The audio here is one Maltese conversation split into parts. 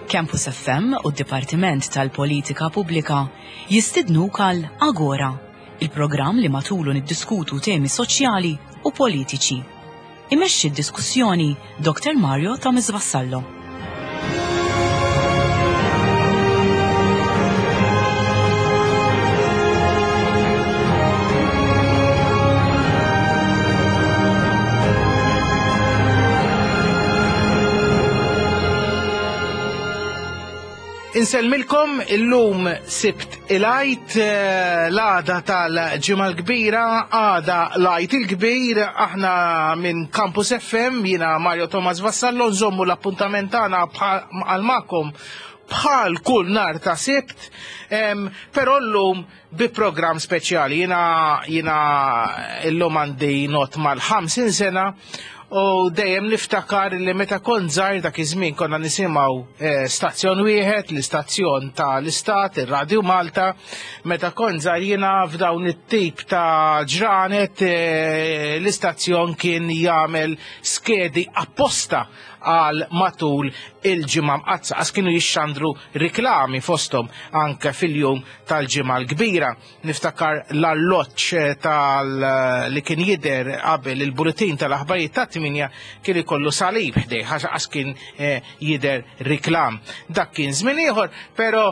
Campus FM u d-Dipartiment tal-Politika Pubblika jistidnuk għal Agora, il-programm li matulu niddiskutu temi soċjali u politiċi. Imexxi d-diskussjoni Dr. Mario Thomas Vassallo. Insellmilkom illum sibt il-għajt eh, l-għada tal-ġimgħa l-kbira, għada l-għajt il-kbir, aħna minn Campus FM, jiena Mario Thomas Vassallo, nżommu l-appuntament tagħna għal magħkom bħal kull nar ta' sibt, però llum bi programm speċjali. Jiena jiena illum għandi not mal-50 sena u dejjem niftakar li meta kont żgħir dak iż-żmien konna nisimgħu eh, stazzjon wieħed, l-istazzjon tal-Istat, ir-Radju Malta, meta kont żgħir jiena f'dawn it-tip ta' ġranet eh, l-istazzjon kien jagħmel skedi apposta għal matul il-ġimgħa mqaddsa għax kienu jixxandru riklami fosthom anke fil-jum tal-Ġimgħa l-Kbira. Niftakar l-alloġġ eh, tal eh, li kien jidher qabel il-buletin tal-aħbarijiet ta' tminja kien ikollu salib ħdej ħax qas kien eh, jidher riklam. Dak kien żmien ieħor, però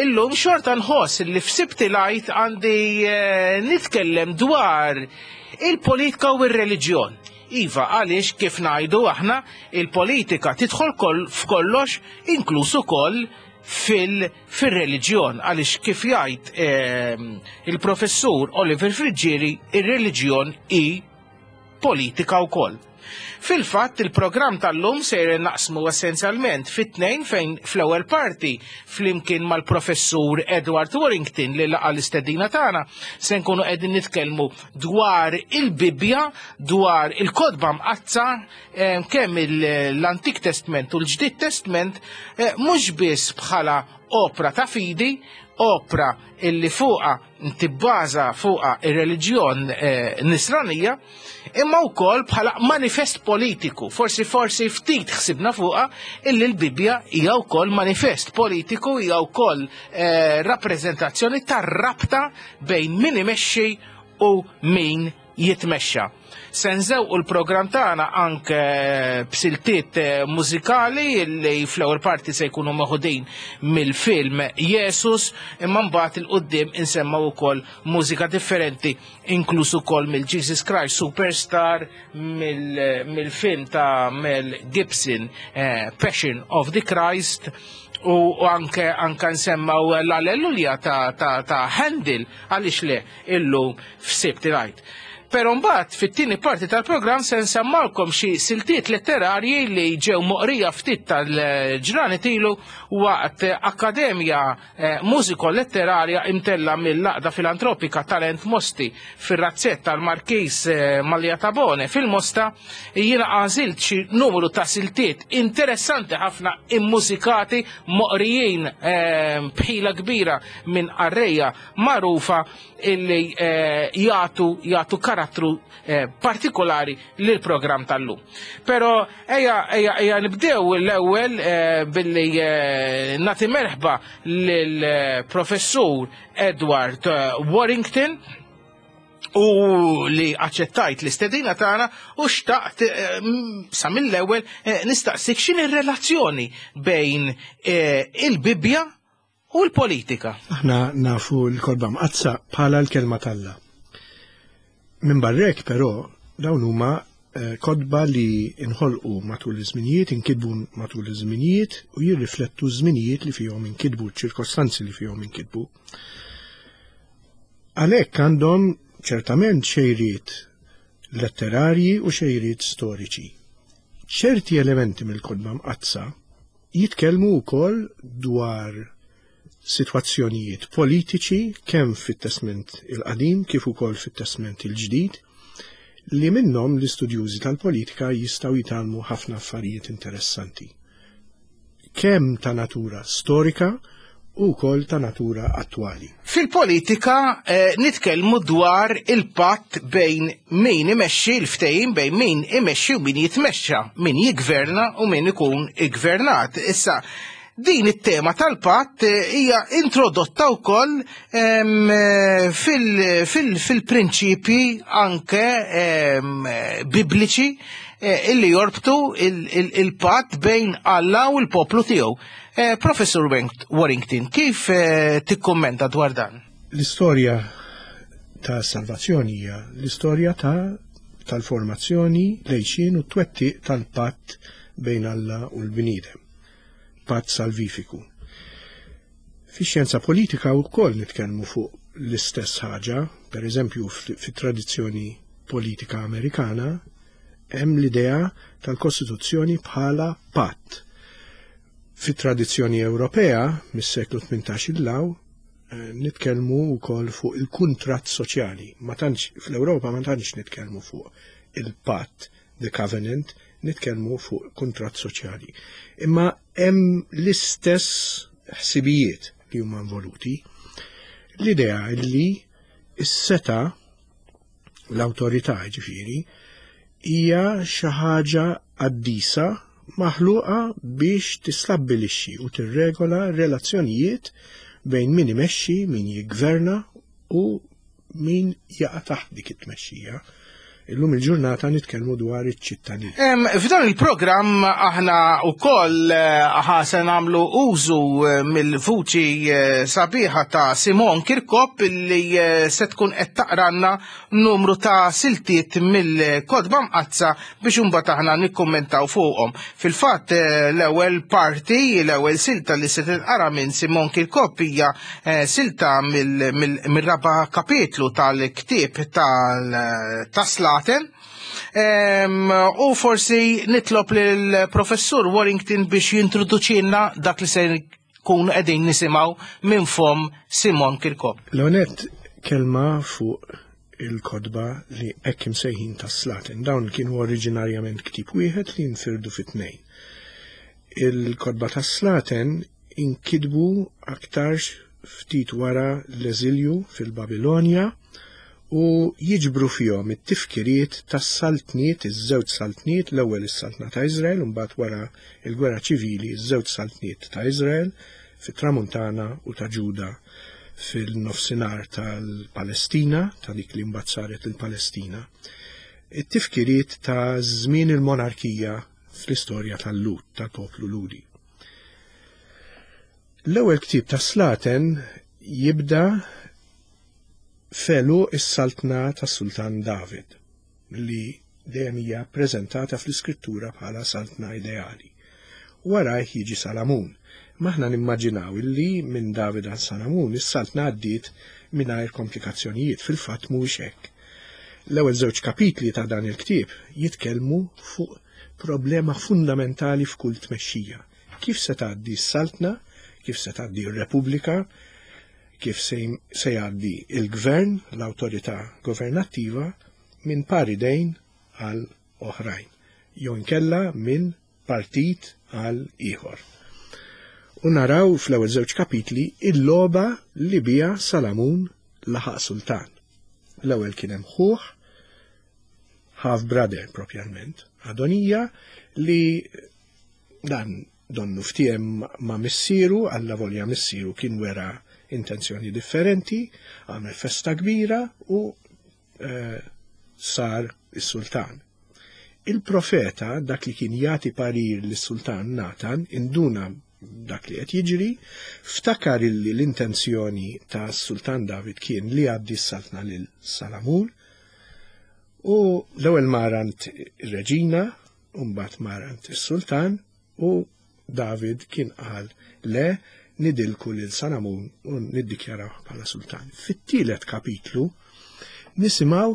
illum xorta nħoss li f'sibti lajt għandi nitkellem dwar il-politika u r-reliġjon. Iva, għaliex kif ngħidu aħna il-politika tidħol f'kollox inkluż ukoll fil fir-reliġjon għaliex kif jgħid ehm, il-professur Oliver Friggieri ir-reliġjon hi politika wkoll. Fil-fatt il-programm tal-lum sejr naqsmu essenzjalment fit-tnejn fejn fl-ewwel parti flimkien mal-professur Edward Warrington li laqa l-istedina tagħna se nkunu qegħdin nitkellmu dwar il-Bibbja, dwar il-kotba mqaddsa eh, kemm l-Antik Testment u l-Ġdid Testment eh, mhux biss bħala opra ta' fidi, opra illi fuqa tibbaża fuqa ir-reliġjon eh, nisranija, imma wkoll bħala manifest politiku. Forsi forsi ftit ħsibna fuqa illi l-Bibbja hija wkoll manifest politiku, hija wkoll eh, rappreżentazzjoni tar-rabta bejn min imexxi u min jitmexxa. Se nżewqu l-programm tagħna anke b'siltiet eh, mużikali li fl-ewwel parti se jkunu meħudin mill-film Jesus, imma mbagħad il qudiem insemmaw ukoll mużika differenti inkluż ukoll mill-Jesus Christ Superstar, mill-film ta' Mel Gibson eh, Passion of the Christ u anke anke nsemmaw l-Alleluja ta', ta, ta Handel għaliex le illum f'Sibt il-Għid. Però mbagħad fit-tieni parti tal-programm se nsemmalkom xi siltiet letterarji li ġew moqrija ftit tal-ġranet ilu waqt akkademja eh, mużiko letterarja imtella mill-Laqda Filantropika Talent Mosti fir-razzett tal-Markis eh, Malja Tabone fil-Mosta jiena għażilt xi numru ta' siltiet interessanti ħafna immużikati moqrijin eh, bħila kbira minn qarrejja magħrufa illi eh, jagħtu jagħtu karattru eh, partikolari lil programm tal-lum. Però ejja ejja ejja nibdew l-ewwel eh, billi nagħti merħba lill professur Edward Warrington u li aċċettajt l-istedina tagħna u xtaqt sa mill-ewwel nistaqsik x'inhi r-relazzjoni bejn il-Bibbja U l-politika. Aħna nafu l-Kotba Mqaddsa bħala l-Kelma t'Alla. Minn barrek però dawn huma eh, kotba li nħolqu matul iż-żminijiet, inkitbu matul iż-żminijiet u jirriflettu ż-żminijiet li fihom inkitbu, ċ-ċirkostanzi li fihom inkitbu. Għalhekk għandhom ċertament xejriet letterarji u xejriet storiċi. Ċerti elementi mill-Kotba Mqaddsa Jitkellmu wkoll dwar sitwazzjonijiet politiċi kemm fit-Testment il-Qadim kif ukoll fit-Testment il-Ġdid li minnhom l-istudjużi tal-politika jistgħu jitgħallmu ħafna affarijiet interessanti. Kemm ta' natura storika u wkoll ta' natura attwali. Fil-politika eh, nitkellmu dwar il-patt bejn min imexxi l-ftehim bejn min imexxi u min jitmexxa, min jigverna u min ikun iggvernat. Issa, Din it-tema tal-patt hija introdotta wkoll fil-prinċipji anke bibliċi illi jorbtu il-patt bejn Alla u l-poplu tiegħu. Professur Warrington, kif tikkummenta dwar dan? L-istorja ta' salvazzjoni hija l-istorja ta' tal-formazzjoni, l-għixien u t-twettiq tal-patt bejn Alla u l-bniedem. Patt salvifiku. Fix-xjenza politika wkoll nitkellmu fuq l-istess ħaġa, per eżempju fit-tradizzjoni politika Amerikana hemm l-idea tal-Kostituzzjoni bħala patt. Fit-tradizzjoni Ewropea mis-seklu 18 il-law eh, nitkellmu wkoll fuq il-kuntratt soċjali. Ma tantx fl-Ewropa ma tantx nitkellmu fuq il-patt, the covenant, nitkellmu fuq kuntratt soċjali. Imma hemm l-istess ħsibijiet li huma involuti. L-idea li s-seta l-awtorità ġifieri hija xi ħaġa qaddisa maħluqa biex tistabbilixxi u tirregola relazzjonijiet bejn min imexxi, min jiggverna u min jaqa' taħt dik it-tmexxija. Illum il-ġurnata nitkellmu dwar iċ-ċittadin. F'dan il-programm aħna wkoll eh, se nagħmlu użu eh, mill-vuċi eh, sabiħa ta' Simon Kirkop li se tkun qed taqranna numru ta' siltiet mill-kodba mqazza biex imbagħad aħna nikkummentaw fuqhom. Fil-fatt l-ewwel parti, l-ewwel silta li se tinqara minn Simon Kirkop hija silta mill-raba' kapitlu tal-ktieb tal-Slaten. U forsi nitlob lill-Professur Warrington biex jintroduċilna dak li se nkunu qegħdin nisimgħu minn fom Simon Kirkop. L-għonet kelma fuq il-kotba li hekk imsejħin tas-Slaten. Dawn kienu oriġinarjament ktieb wieħed li nfirdu fi tnejn. Il-kotba tas-Slaten inkitbu aktarx ftit wara l-eżilju fil-Babilonja u jiġbru fihom it-tifkiriet tas-saltniet, iż-żewġ saltniet, l-ewwel is-saltna ta' Iżrael u mbagħad wara l-gwerra ċivili ż-żewġ saltniet ta' Iżrael fit-Tramuntana u ta' Ġuda fil-Nofsinhar tal-Palestina, ta' dik li mbagħad saret il-Palestina. It-tifkiriet ta' żmien il-monarkija fl-istorja tal-Lhud, tal-poplu Lhudi. L-ewwel ktieb ta' Slaten jibda f'għeluq is-saltna tas-Sultan David, li dejjem hija ppreżentata fl-Iskrittura bħala saltna ideali. Warajh jiġi Salamun. Imma aħna nimmaġinaw illi minn David għal Salamun is-saltna għaddiet mingħajr komplikazzjonijiet. Fil-fatt mhuwiex hekk. L-ewwel żewġ kapitli ta' dan il-ktieb jitkellmu fuq problema fundamentali f'kull tmexxija. Kif se tgħaddi s-saltna, kif se tgħaddi r-repubblika, kif se jgħaddi l-gvern, l-awtorità governattiva, minn par idejn għal oħrajn, jew inkella minn partit għal ieħor. U naraw fl-ewwel żewġ kapitli il-logħba li biha Salamun laħaq sultan. L-ewwel kien hemm ħuh, half brother propjalment, Adonija, li dan donnu ftiem ma' missieru, alla volja missieru kien wera intenzjoni differenti, għamel festa kbira u eh, sar is-sultan. Il-profeta, dak li kien jagħti parir lis-sultan Natan, induna dak li qed jiġri, ftakar illi l-intenzjoni ta' sultan David kien li jgħaddi s-saltna lil Salamun u l-ewwel marant ir-reġina, u mbagħad marant is-sultan u David kien qal le nidilku lil Salamun u niddikjaraw bħala sultan. Fit-tielet kapitlu nisimgħu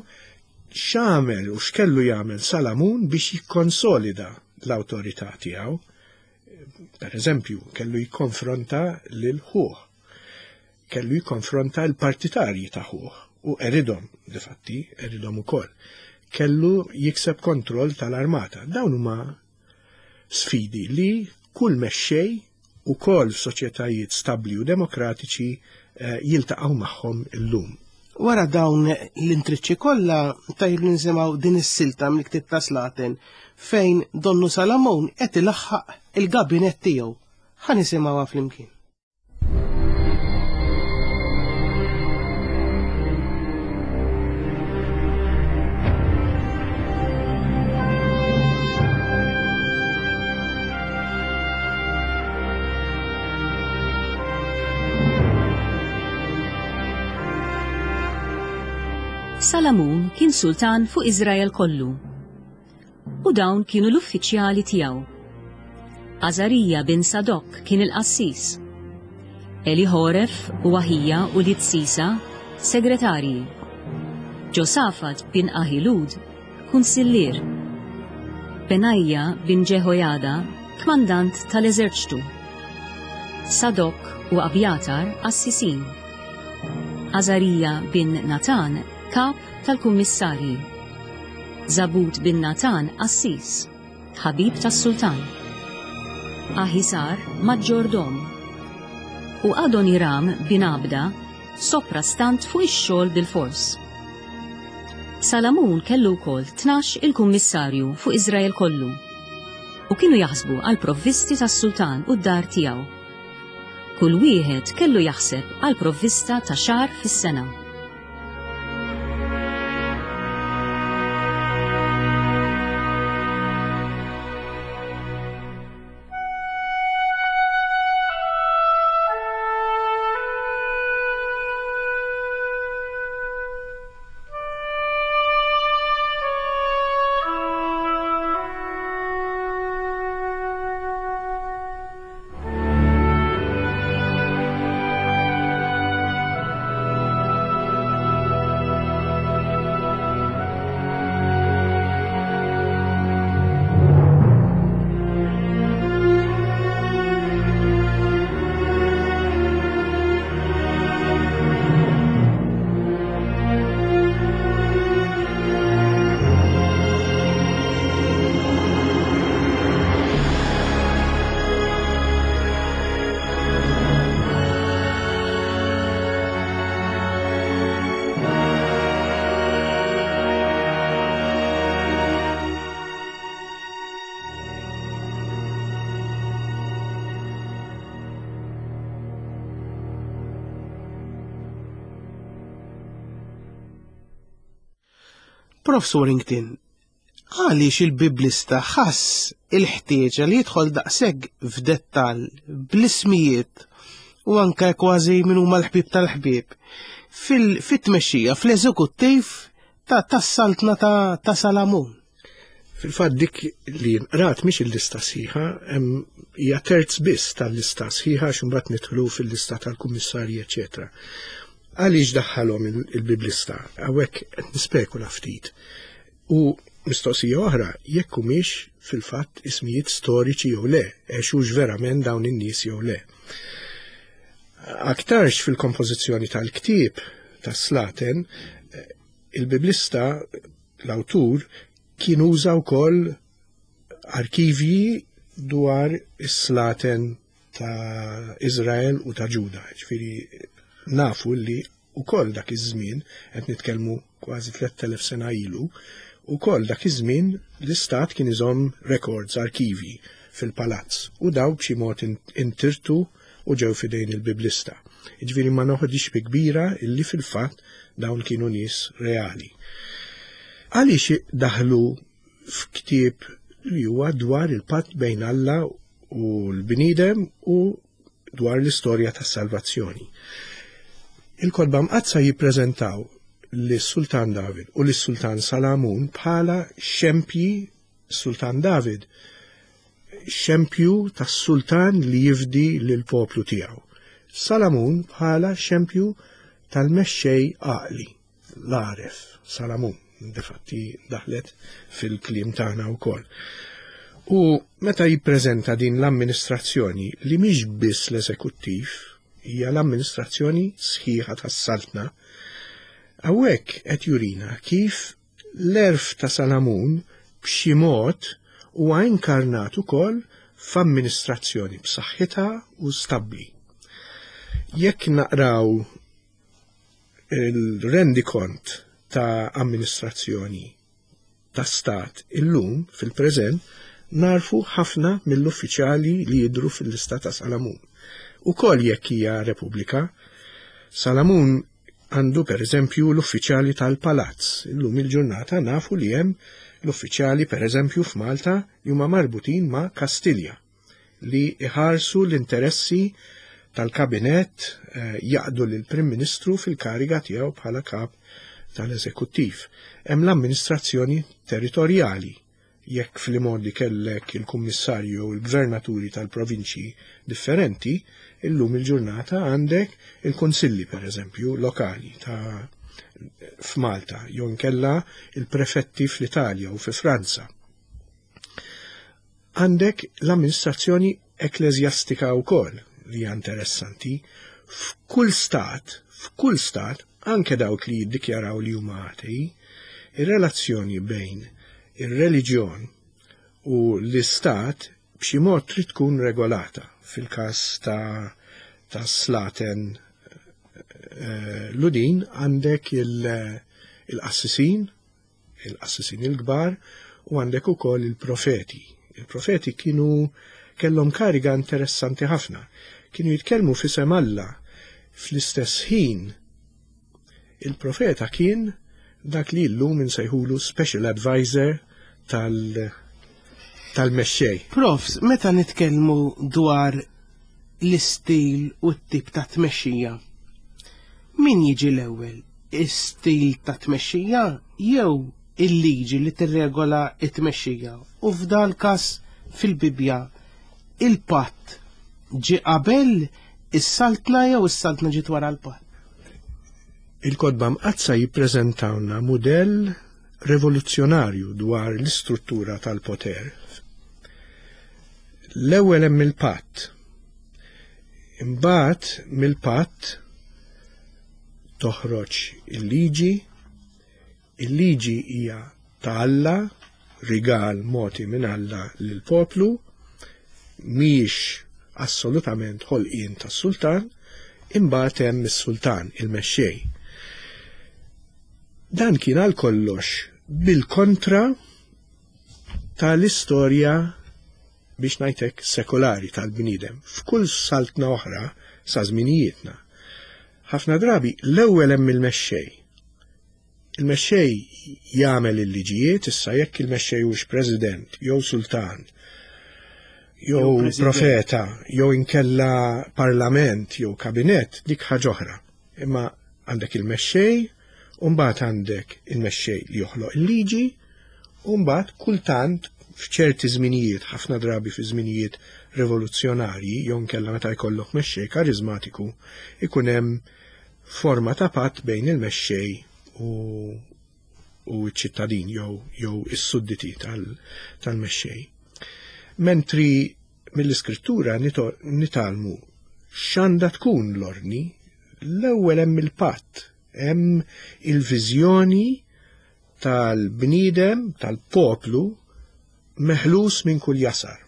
x'għamel u x'kellu jagħmel Salamun biex jikkonsolida l-awtorità tiegħu. Per eżempju, kellu jikkonfronta lil ħuh. Kellu jikkonfronta l-partitarji ta' ħuh u eridhom, difatti, eridhom ukoll. Kellu jikseb kontroll tal-armata. Dawn huma sfidi li kull mexxej ukoll f'soċjetajiet stabbli u demokratiċi eh, jiltaqgħu magħhom illum. Wara dawn l-intriċċi kollha tajjeb li nisimgħu din is-silta mill-ktieb ta' Slaten fejn Donnu Salamun qed ilaħħaq il-gabinett tiegħu. Ħa nisimgħuha flimkien. Salamun kien sultan fuq Iżrael kollu. U dawn kienu l-uffiċjali tiegħu. Azarija bin Sadok kien il-qassis. Elihoref u Aħija u Sisa segretarji. Ġosafat bin Ahilud kunsillier. Benajja bin Ġeħojada kmandant tal-eżerċtu. Sadok u Abjatar qassisin. Azarija bin Natan kap tal-kummissarji. Zabud bin Natan qassis, ħabib tas-sultan. Aħisar maġġordom. U Adoniram bin Abda soprastant fuq ix-xogħol bilfors. Salamun kellu wkoll 12 il-kummissarju fuq Iżrael kollu, u kienu jaħsbu għall-provvisti tas-sultan u d-dar tiegħu. Kull wieħed kellu jaħseb għall-provvista ta' xahar fis-sena. Prof. Warrington, għaliex il-Biblista ħass il-ħtieġa li jidħol daqshekk f'dettall bl-ismijiet u anke kważi min huma l-ħbieb tal-ħbieb fit-tmexxija, fl-eżekuttiv tas-saltna ta' Salamun? Fil-fatt dik li nqrat mhix il-lista sħiħa, hija terz biss tal-lista sħiħa għax imbagħad nidħlu fil-lista tal-kummissarji eċetera. Għaliex daħħalhom il-Biblista? Hawnhekk qed nispekula ftit. U mistoqsija oħra, jekk humiex fil-fatt ismijiet storiċi jew le, għexux verament dawn in-nies jew le. Aktarx fil-kompożizzjoni tal-ktieb tas-Slaten, il-Biblista, l-awtur, kien uża wkoll arkivji dwar is-slaten ta' Izrael u ta' Ġuda. Ġifieri nafu li wkoll dak iż-żmien, qed nitkellmu kważi 3000 sena ilu, ukoll dak iż-żmien l-istat kien iżomm records, arkivji fil-palazz u daw b'xi mod intirtu u ġew f'idejn il-Biblista. Jiġifieri ma noħodix bi kbira illi fil-fatt dawn kienu nies reali. Għaliex daħlu f'ktieb li huwa dwar il-patt bejn Alla u l-bniedem u dwar l-istorja tas-salvazzjoni. Il-Kotba Mqaddsa jippreżentaw lis-Sultan David u lis-Sultan Salamun bħala xempji Sultan David xempju tas-sultan li jifdi lill-poplu tiegħu. Salamun bħala xempju tal-mexxej għaqli, l-għaref, Salamun, difatti daħlet fil-kliem tagħna wkoll. U meta jippreżenta din l-amministrazzjoni li mhix biss l-eżekuttiv, hija l-amministrazzjoni sħiħa tas-saltna, hawnhekk qed jurina kif L-għerf ta' Salamun b'xi mod huwa inkarnat ukoll f'amministrazzjoni b'saħħitha u stabbli. Jekk naqraw il-rendikont ta' amministrazzjoni ta' stat illum fil-preżent, Narfu ħafna mill-uffiċjali li jidhru fil-lista ta' Salamun. Ukoll jekk hija repubblika, Salamun għandu pereżempju l-uffiċjali tal-palazz. Illum il-ġurnata nafu li hemm l-uffiċjali pereżempju f'Malta li huma marbutin ma' Kastilja li iħarsu l-interessi tal-kabinett eh, jaqdu lill-Prim Ministru fil-kariga tiegħu bħala kap tal-eżekuttiv. Hemm l-amministrazzjoni territorjali Jekk fl-imgħoddi kellek il-kummissarju jew il-gvernaturi tal-provinċji differenti, illum il-ġurnata għandek il-kunsilli pereżempju lokali ta' f'Malta jew inkella il-prefetti fl-Italja u fi Franza. Għandek l-amministrazzjoni ekkleżjastika wkoll li hija interessanti. F'kull stat, f'kull stat, anke dawk li jiddikjaraw li huma atei, ir-relazzjoni bejn ir-reliġjon u l-istat b'xi mod trid tkun regolata. Fil-każ ta' ta' slaten eh, Ludin għandek il-qassisin, il-qassisin il-kbar u għandek ukoll il-profeti. Il-profeti kienu kellhom kariga interessanti ħafna. Kienu jitkellmu f'isem Alla fl-istess ħin il-profeta kien dak li llum insejħulu special advisor tal tal-mexxej. Profs, meta nitkellmu dwar l-istil u t-tip ta' tmexxija, min jiġi l-ewwel? Istil ta' tmexxija jew il-liġi li tirregola t-tmexxija? U f'dal każ fil-Bibbja il-patt ġie qabel is-saltna jew is-saltna ġiet wara l-patt? Il-Kotba Mqaddsa jippreżentawlna mudell revoluzzjonarju dwar l-istruttura tal-poter. L-ewwel hemm il-patt. Imbagħad mill-patt toħroġ il-liġi, il-liġi hija ta' Alla, rigal mogħti minn Alla lill-poplu, mhijiex assolutament ħolqien tas-sultan, imbagħad hemm is-sultan, il-mexxej. Dan kien għal kollox bil-kontra tal-istorja biex ngħid hekk sekolari tal-bniedem f'kull saltna oħra sa żminijietna. Ħafna drabi l-ewwel hemm il-mexxej. Il-mexxej jagħmel il-liġijiet, issa jekk il-mexxej hux president jew sultan jew profeta jew inkella parlament jew kabinett dik ħaġa oħra. Imma għandek il-mexxej, u mbagħad għandek il-mexxej li joħloq il-liġi, u mbagħad kultant f'ċerti żminijiet, ħafna drabi fi żminijiet rivoluzzjonarji, jew inkella meta jkollok mexxej kariżmatiku, ikun hemm forma ta' patt bejn il-mexxej u u ċ-ċittadin jew jew is-sudditi tal-mexxej. Mentri mill-iskrittura nitgħallmu x'għandha tkun l-ordni, l-ewwel hemm il-patt, hemm il-viżjoni tal-bniedem, tal-poplu meħlus minn kull jasar,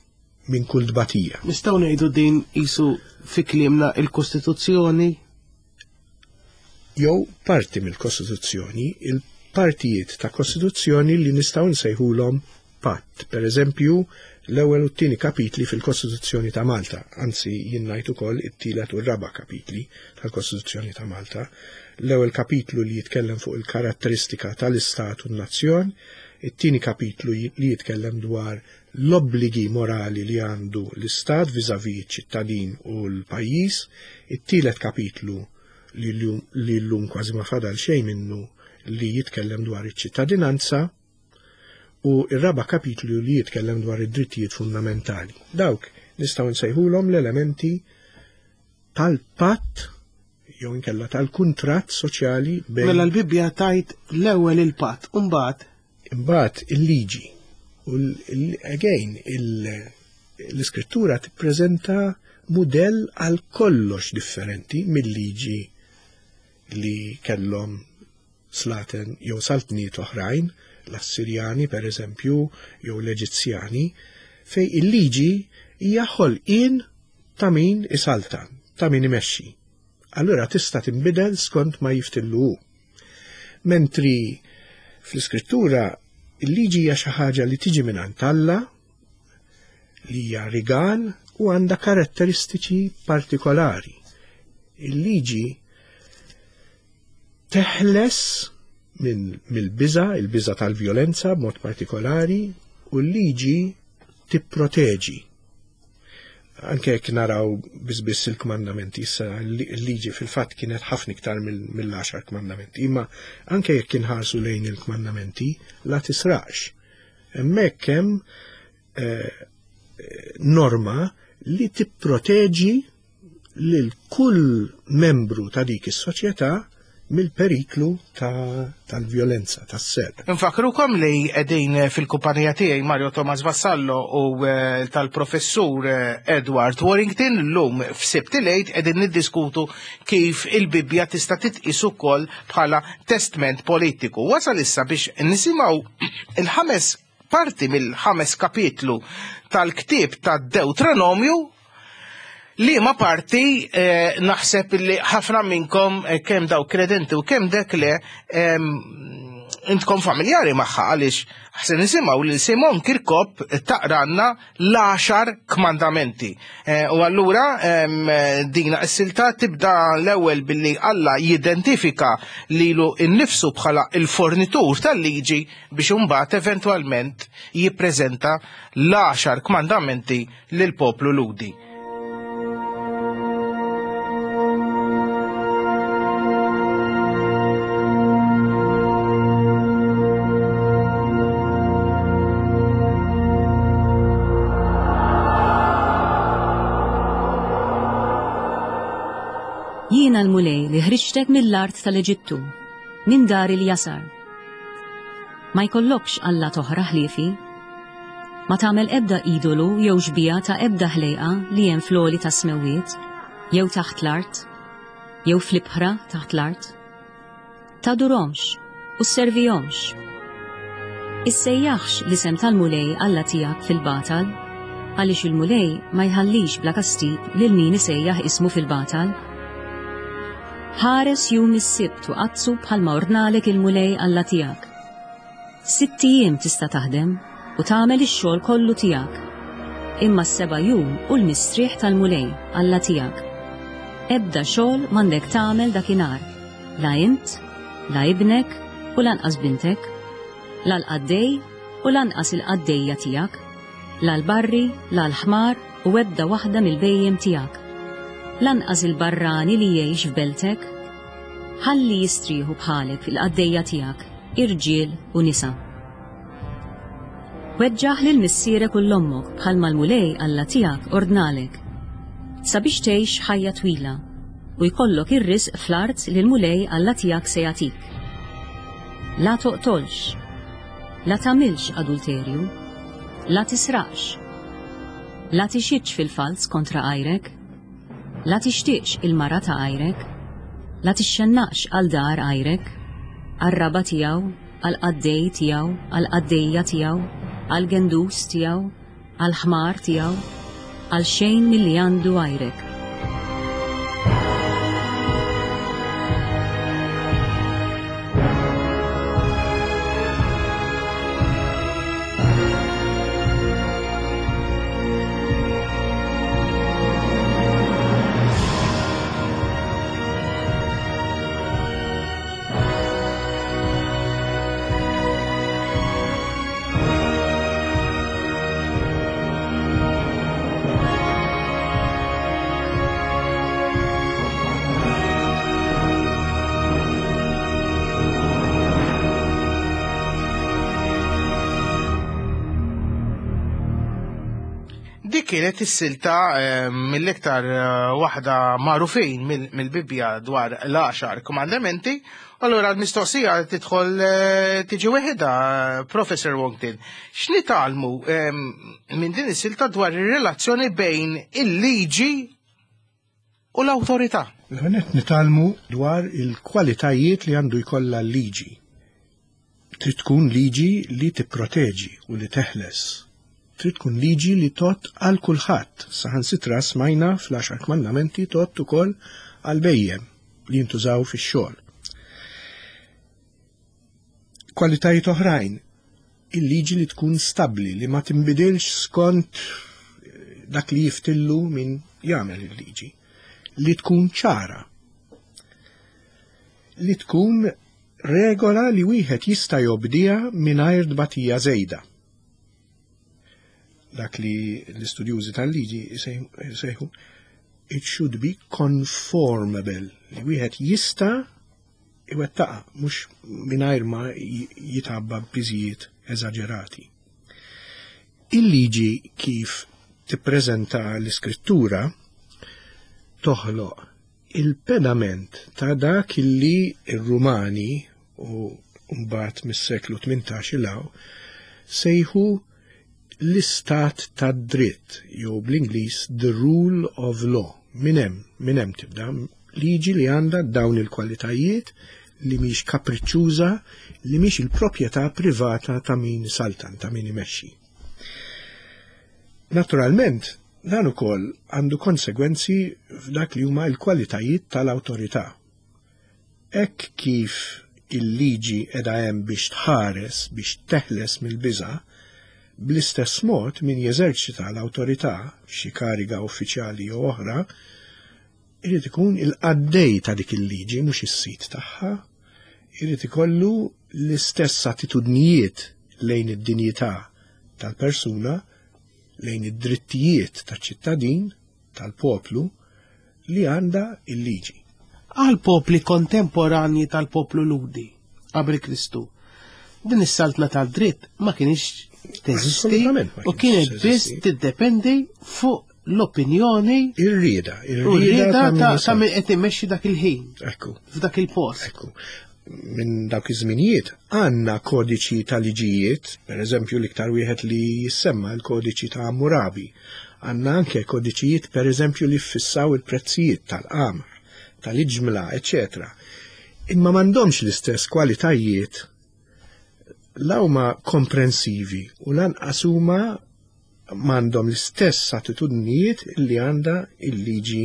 minn kull tbatija. Nistgħu ngħidu din qisu fi kliemna il-Kostituzzjoni? Jew parti mill-Kostituzzjoni, il-partijiet ta' Kostituzzjoni li nistgħu nsejħulhom patt. Per eżempju, l-ewwel u t-tieni kapitli fil-Kostituzzjoni ta' Malta, anzi jien ngħid ukoll it-tielet u r-raba' kapitli tal-Kostituzzjoni ta' Malta. L-ewwel kapitlu li jitkellem fuq il-karatteristika tal-Istat u n-nazzjon, it-tieni kapitlu li jitkellem dwar l-obbligi morali li għandu l-Istat vis-à-vis iċ-ċittadin u l-pajjiż, it-tielet kapitlu li llum kważi ma fadal xejn minnu li jitkellem dwar iċ-ċittadinanza, u r-raba' kapitlu li jitkellem dwar id-drittijiet fundamentali. Dawk nistgħu nsejħulhom l-elementi tal-patt jew inkella tal-kuntratt soċjali bejn. Mela l-Bibbja tajt l-ewwel il-patt u mbagħad imbagħad il-liġi. U again l-iskrittura tippreżenta mudell għal kollox differenti mill-liġi li kellhom slaten jew saltniet oħrajn, l-Assirjani per eżempju, jew l-Eġizzjani, fej il-liġi hija ħolqien ta' min isaltan, ta' min imexxi. Allura tista' tinbidel skont ma jiftillu hu. Mentri fl-Iskrittura il-liġi hija xi ħaġa li tiġi mingħand Alla. li hija rigal u għandha karatteristiċi partikolari. Il-liġi teħles minn mill-biża, il-biża tal-vjolenza b'mod partikolari, u l-liġi tipproteġi. Anke jekk naraw biss il-kmandamenti, issa l-liġi fil-fatt kienet ħafna iktar mill-għaxar kmandamenti, imma anke jekk inħarsu lejn il-kmandamenti, la tisraqx. Hemmhekk hemm eh, norma li tipproteġi lil kull membru ta' dik is-soċjetà mill-periklu tal-vjolenza, ta tas-serq. Infakrukom li qegħdin fil-kumpanija tiegħi Mario Thomas Vassallo u eh, tal-professur eh, Edward Warrington llum f'Sibt il-Għid qegħdin niddiskutu kif il-Bibbja tista' titqis ukoll bħala testment politiku. Wasal issa biex nisimgħu il-ħames parti mill-ħames kapitlu tal-ktieb tad-Dewtronomju li ma parti eh, naħseb li ħafna minnkom eh, kemm daw kredenti u kemm dek le eh, intkom familjari magħha għaliex ħse nisimgħu lil Simon Kirkop taqranna l-għaxar kmandamenti. Eh, u allura dina s-silta tibda l-ewwel billi Alla jidentifika lilu innifsu bħala il-fornitur tal-liġi biex imbagħad eventwalment jippreżenta l-għaxar kmandamenti lill-poplu Lhudi. Jiena l-Mulej li ħriġtek mill-art tal-Eġittu, minn dar il-jasar. Ma jkollokx allat oħra ħliefi. Ma tagħmel ebda idolu jew xbieha ta' ebda ħlejqa li hemm fl-għoli tas-smewwiet, jew taħt l-art, jew fl-ibħra taħt l-art. Tadurhomx u sservihomx. Issejjaħx l-isem tal-Mulej Alla tiegħek fil-batal, għaliex il-Mulej ma jħallix bla kastig lil min isejjaħ ismu fil-batal. Ħares jum is-Sibt u qaddsu bħalma ordnalek il-Mulej Alla tiegħek. Sitt ijiem tista' taħdem u tagħmel ix-xogħol kollu tiegħek. Imma s-seba' jum hu l-mistrieħ tal-Mulej Alla tiegħek. Ebda xogħol m'għandek tagħmel dakinhar, la int, la ibnek u lanqas bintek, la l-qaddej u lanqas il-qaddejja tiegħek, la l-barri, la l-ħmar u ebda waħda mill-bhejjem tiegħek. Lanqas il-barrani li jgħix f'beltek. Ħalli jistrieħu bħalek il-qaddejja tiegħek, irġiel u nisa. Weġġaħ lil missierek u 'l ommok bħalma l-Mulej Alla tiegħek ordnalek, sabiex tgħix ħajja twila u jkollok ir-risq fl-art li l-Mulej Alla tiegħek se jagħtik. La toqtolx, la tagħmilx adulterju, la tisraqx, la tixhidx fil-falz kontra għajrek, La tixtieqx il-mara ta' għajrek, la tixxennaqx għal dar għajrek, għar-raba' tiegħu, għall-qaddej tiegħu, għall-qaddejja tiegħu, għall-gendus tiegħu, għall-ħmar tiegħu, għal xejn milli għandu għajrek. Dik kienet is-silta eh, mill-iktar eh, waħda magħrufin mill-Bibbja dwar l-għaxar kmandamenti. Allura l-mistoqsija tidħol eh, tiġi weħida, Professor Wongtin. X'nitgħallmu minn din is-silta dwar ir-relazzjoni bejn il-liġi u l-awtorità. L-ewwel nitgħallmu dwar il-kwalitajiet li għandu jkollha l-liġi. Trid tkun liġi li tipproteġi u li teħles. Trid tkun liġi li tgħodd għal kulħadd. Saħansitra smajna fl-għaxar kmandamenti tgħodd ukoll għal bejjem li jintużaw fix-xogħol. Kwalitajiet oħrajn, il-liġi li tkun stabbli, li ma tinbidilx skont dak li jiftillu min jagħmel il-liġi, li tkun ċara, li tkun regola li wieħed jista' jobdiha mingħajr tbatija żejda. Dak li l-istudjużi tal-liġi jsejħu it should be conformable, li wieħed jista' iwettaqa mhux mingħajr ma jitgħabba b'piżijiet eżaġerati. Il-liġi kif tippreżenta l-iskrittura toħloq il-pedament ta' dak li r-Rumani u mbagħad mis-seklu 18 'il hawn sejħu l-istat tad-dritt jew bl-Ingliż the rule of law. Minn hemm, minn hemm tibda liġi li għandha dawn il-kwalitajiet li mhix kapriċċuża, li mhix il-proprjetà privata ta' min saltan, ta' min imexxi. Naturalment, dan ukoll għandu konsegwenzi f'dak li huma l-kwalitajiet tal-awtorità. Hekk kif il-liġi qiegħda hemm biex tħares, biex teħles mill-biża', bl-istess mod min jeżerċita l-awtorità f'xi kariga uffiċjali jew oħra, irid ikun il-qaddej ta' dik il-liġi mhux is-sid tagħha, irid ikollu l-istess attitudnijiet lejn id-dinjità tal-persuna, lejn id-drittijiet taċ-ċittadin, tal-poplu, li għandha l-liġi. Għall-popli kontemporanji tal-poplu Lhudi qabel Kristu, din is-saltna tad-dritt ma kinitx teżisti u kienet biss tiddependi fuq l-opinjoni ir-rieda, ir-rieda ta' min qed imexxi dak il-ħin. Ekku. F'dak il-post. Ekku. Minn dawk iż-żminijiet għandna kodiċi ta' liġijiet, per eżempju l-iktar wieħed li jissemma l-kodiċi ta' Hammurabi. Għandna anke kodiċijiet per eżempju li ffissaw il-prezzijiet tal-qamħ, tal-iġmla, eċċetera. Imma m'għandhomx l-istess kwalitajiet la huma komprensivi u lanqas huma m'għandhom l-istess attitudnijiet li għandha il-liġi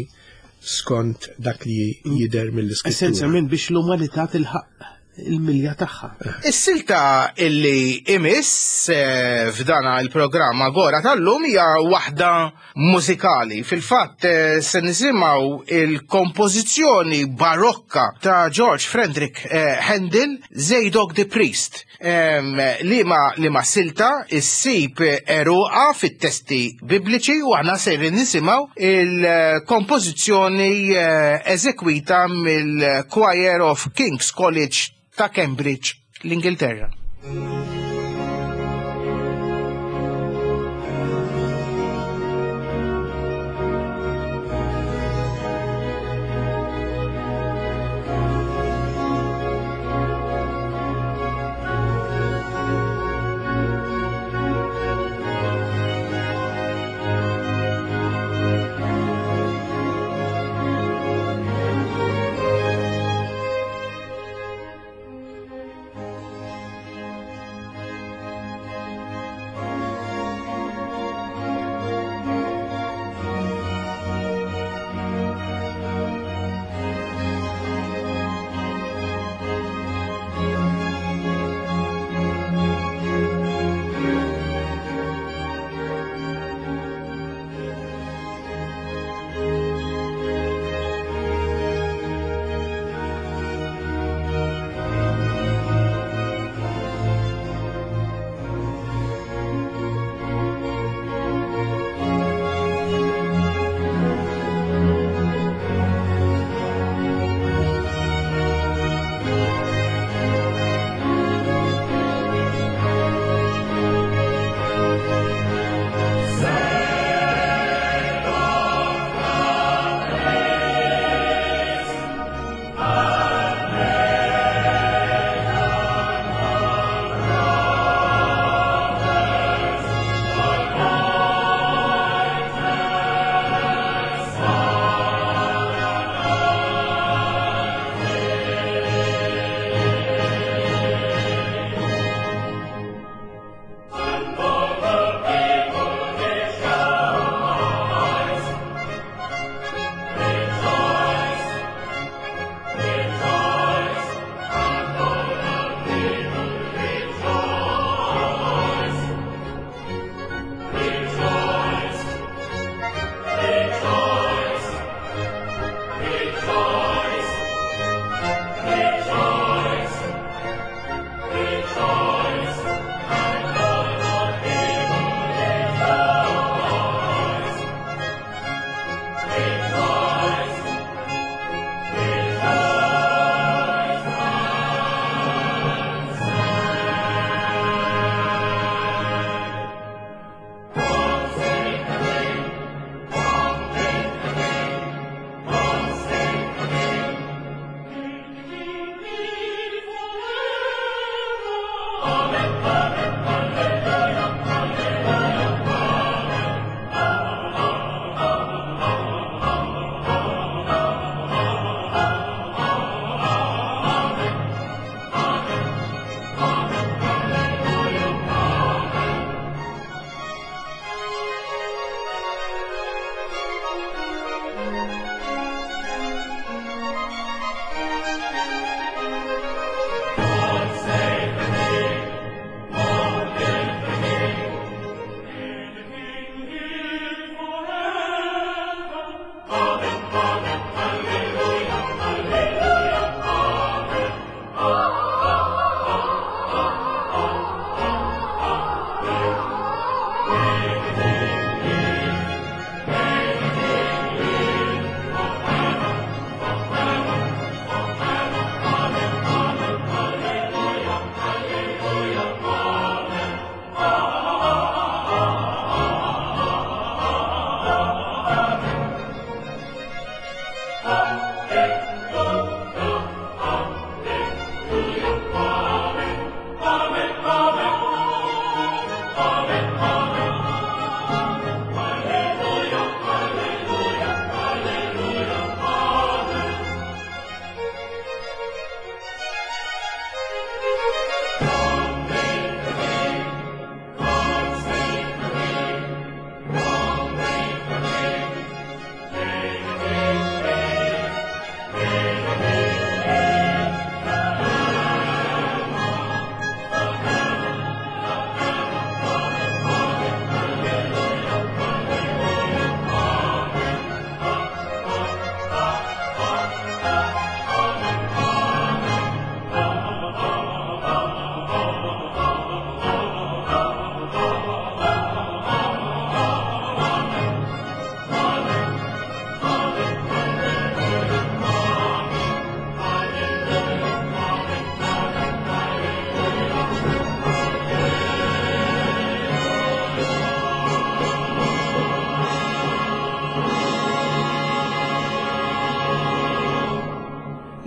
skont dak li jidher mill-iskrittura. Essenzjalment biex l-umanità tilħaq il-milja tagħha. Is-silta illi imiss eh, f'dana il-programm Agora tal-lum hija waħda mużikali. Fil-fatt eh, se nisimgħu il-kompożizzjoni barokka ta' George Frederick eh, Handel, Zadok the Priest. Liema liema silta issib eruqa fit-testi bibliċi u aħna sejrin nisimgħu il-kompożizzjoni eh, eżekwita mill-Choir of King's College ta' Cambridge, l-Ingilterra.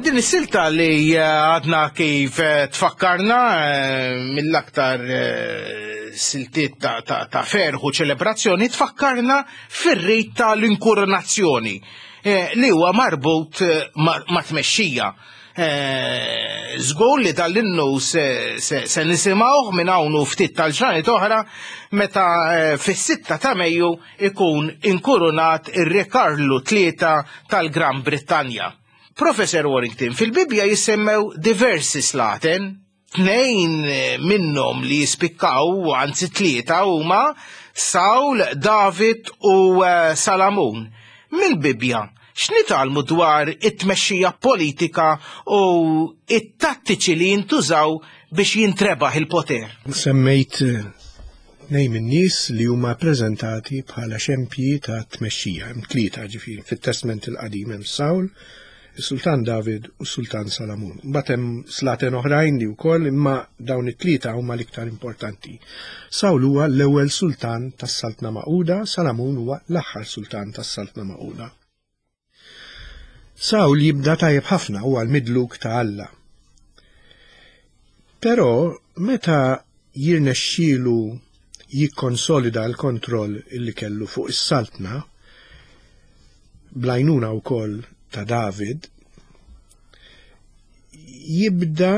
Din is-silta li eh, għadna kif eh, tfakkarna eh, mill-aktar siltiet ta', ta, ta ferħ u ċelebrazzjoni tfakkarna fir-rit tal-inkoronazzjoni li huwa marbut ma' tmexxija. Żgur li dal-innu se, se, se nisimgħuh minn hawn u ftit tal-ġranet oħra meta fis-sitta ta' Mejju ikun inkurunat ir-Re Karlu Tlieta tal-Gran Brittanja. Professor Warrington, fil-Bibbja jissemmew diversi slaten, tnejn minnhom li jispikkaw, anzi tlieta huma Sawl, David u eh, Salamun. Mill-Bibbja, x'nitgħallmu dwar it-tmexxija politika u it-tattiċi li jintużaw biex jintrebaħ il-poter? Semmejt eh, Tnejn min-nies li huma ppreżentati bħala xempji ta' tmexxija, hemm tlieta ġifieri, fit-Testment il-Qadim hemm Sawl, is-Sultan David u s-Sultan Salamun. Mbagħad hemm slaten oħrajn li wkoll imma dawn it-tlieta huma l-iktar importanti. Sawl huwa l-ewwel sultan tas-Saltna Magħquda, Salamun huwa l-aħħar sultan tas-Saltna Magħquda. Sawl jibda tajjeb ħafna huwa l-midluk ta' Alla. Però meta jirnexxielu jikkonsolida l-kontroll li kellu fuq is-saltna, bl-għajnuna wkoll ta' David, jibda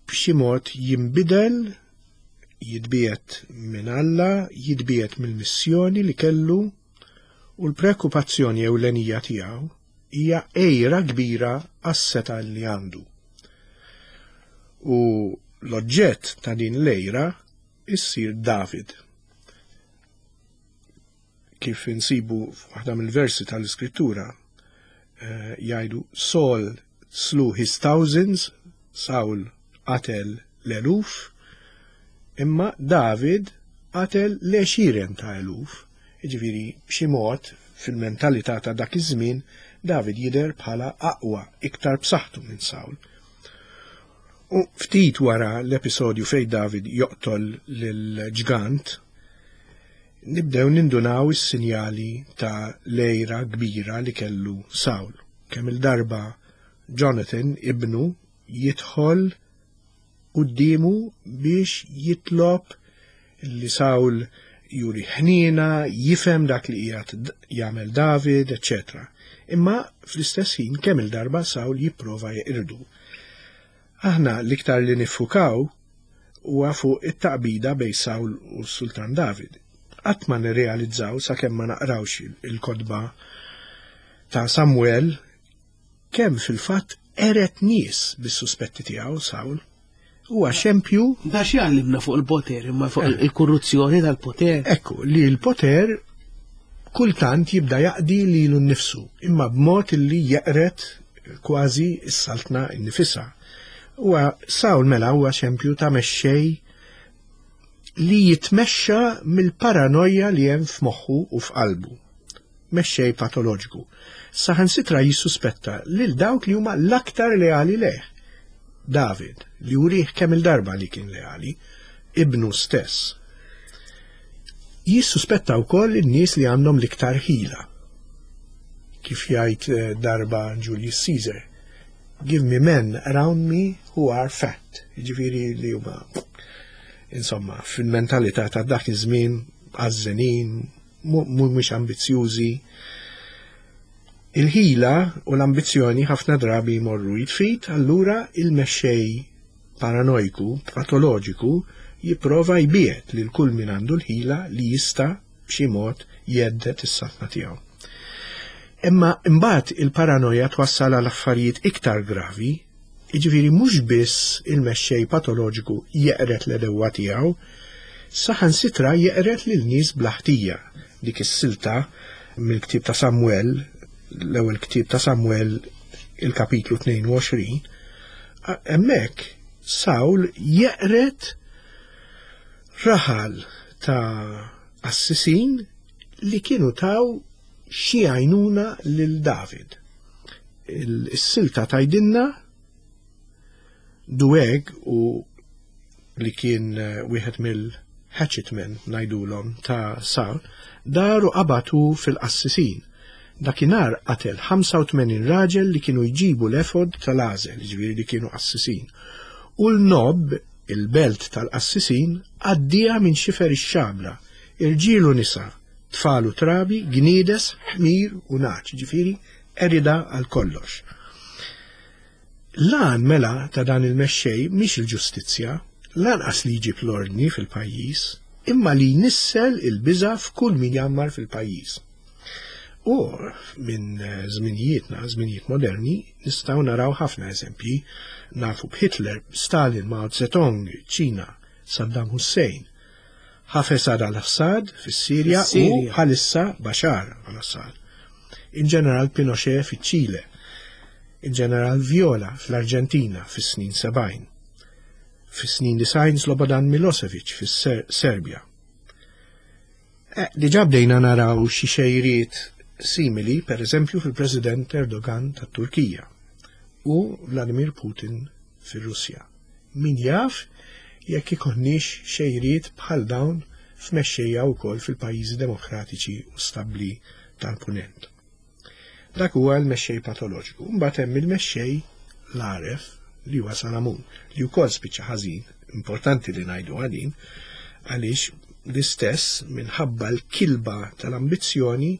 b'xi mod jinbidel, jitbiegħed minn Alla, jitbiegħed mill-missjoni li kellu u l-preokkupazzjoni ewlenija tiegħu hija għira kbira għas-setgħa li għandu. U l-oġġett ta' din l-għira issir David. Kif insibu f'waħda mill-versi tal-Iskrittura eh, jgħidu Saul slew his thousands, Saul qatel l-eluf, imma David qatel l-għexieren ta' eluf. Jiġifieri b'xi mod fil-mentalità ta' dak iż-żmien David jidher bħala aqwa, iktar b'saħħtu minn Sawl. U ftit wara l-episodju fejn David joqtol lill-ġgant, nibdew nindunaw is-sinjali ta' l-għira kbira li kellu Sawl. Kemm il-darba Jonathan, ibnu, jidħol quddiemu biex jitlob li Sawl juri ħniena, jifhem dak li qiegħed jagħmel David, eċċetera. Imma fl-istess ħin kemm il-darba Sawl jipprova jeqirdu. Aħna l-iktar li niffukaw huwa fuq it-taqbida bejn Sawl u s-Sultan David. Qatt ma nirrealizzaw sakemm ma naqrawx il-kotba ta' Samuel Kemm fil-fatt qered nies bis-suspetti tiegħu Sawl. Huwa xempju. Da x'jgħallimna fuq il-poter, imma fuq eh. il-korruzzjoni tal-poter. Ekku, li l-poter kultant jibda jaqdi lilu nnifsu, imma b'mod li jeqred kważi s-saltna nnifisha. Huwa Sawl mela huwa xempju ta' mexxej li jitmexxa mill-paranoja li hemm f'moħħu u f'qalbu. Mexxej patoloġiku. Saħansitra jissuspetta lil dawk li huma l-aktar leali lejh. David, li urih kemm il-darba li kien leali, ibnu stess. Jissuspetta wkoll in-nies li għandhom l-iktar ħila. Kif jgħid eh, darba Julius Caesar, give me men around me who are fat. Jiġifieri li huma insomma fil-mentalità ta' dak iż-żmien għażżenin, mhumiex ambizzjużi. Il-ħila u l-ambizzjoni ħafna drabi jmorru jitfit, allura il-mexxej paranojku, patoloġiku, jipprova jbiegħed lil kull min għandu l-ħila li jista' b'xi mod jhedded is-saltna tiegħu. Imma imbagħad il-paranoja twassal għal affarijiet iktar gravi, jiġifieri mhux biss il-mexxej patoloġiku jeqred l-għedewwa tiegħu, saħansitra jeqred lil nies bla ħtija. Dik is-silta mill-ktieb ta' Samwel, l-ewwel ktieb ta' Samwel il-kapitlu 22, hemmhekk Sawl jeqred Raħal ta' qassisin li kienu taw xi għajnuna lil David. Is-silta tgħidilna Dueg u li kien eh, wieħed mill-hatchetmen ngħidulhom ta' Saul, daru qabatu fil-qassisin. Dakinhar qatel 85 raġel li kienu jġibu l-efod tal-għażel, jiġifieri li kienu qassisin. U 'l Nob, il-belt tal-qassisin, għaddieha minn xifer ix-xabla, irġiel u nisa, tfal u trabi, gniedes, ħmir u nagħaġ, jiġifieri qeridha għal kollox. L-għan mela ta' dan il-mexxej mhix il-ġustizzja, lanqas li jġib l-ordni fil-pajjiż, imma li jnissel il-biża' f'kull min jgħammar fil-pajjiż. U minn żminijietna, żminijiet moderni, nistgħu naraw ħafna eżempji. Nafu b'Hitler, Stalin, Mao Zedong, Ċina, Saddam Hussein, Hafez al-Assad fis-Sirja u bħalissa Bashar al-Assad. Il-Ġeneral Pinochet fiċ-Ċile, il-Ġeneral Viola fl-Arġentina fis-snin 70, fis-snin 90 Slobodan Milosevic fis-Serbja. Eh, diġà bdejna naraw xi xejriet simili, per eżempju, fil-President Erdogan tat-Turkija u Vladimir Putin fir-Russja. Min jaf jekk ikonniex xejriet bħal dawn f'mexxejja wkoll fil-pajjiżi demokratiċi u stabbli tal-Punent. Dak huwa l-mexxej patoloġiku. Mbagħad hemm il-mexxej l-għaref li huwa Salamun, li wkoll spiċċa ħażin, importanti li ngħidu din, għaliex l-istess minħabba l-kilba tal-ambizzjoni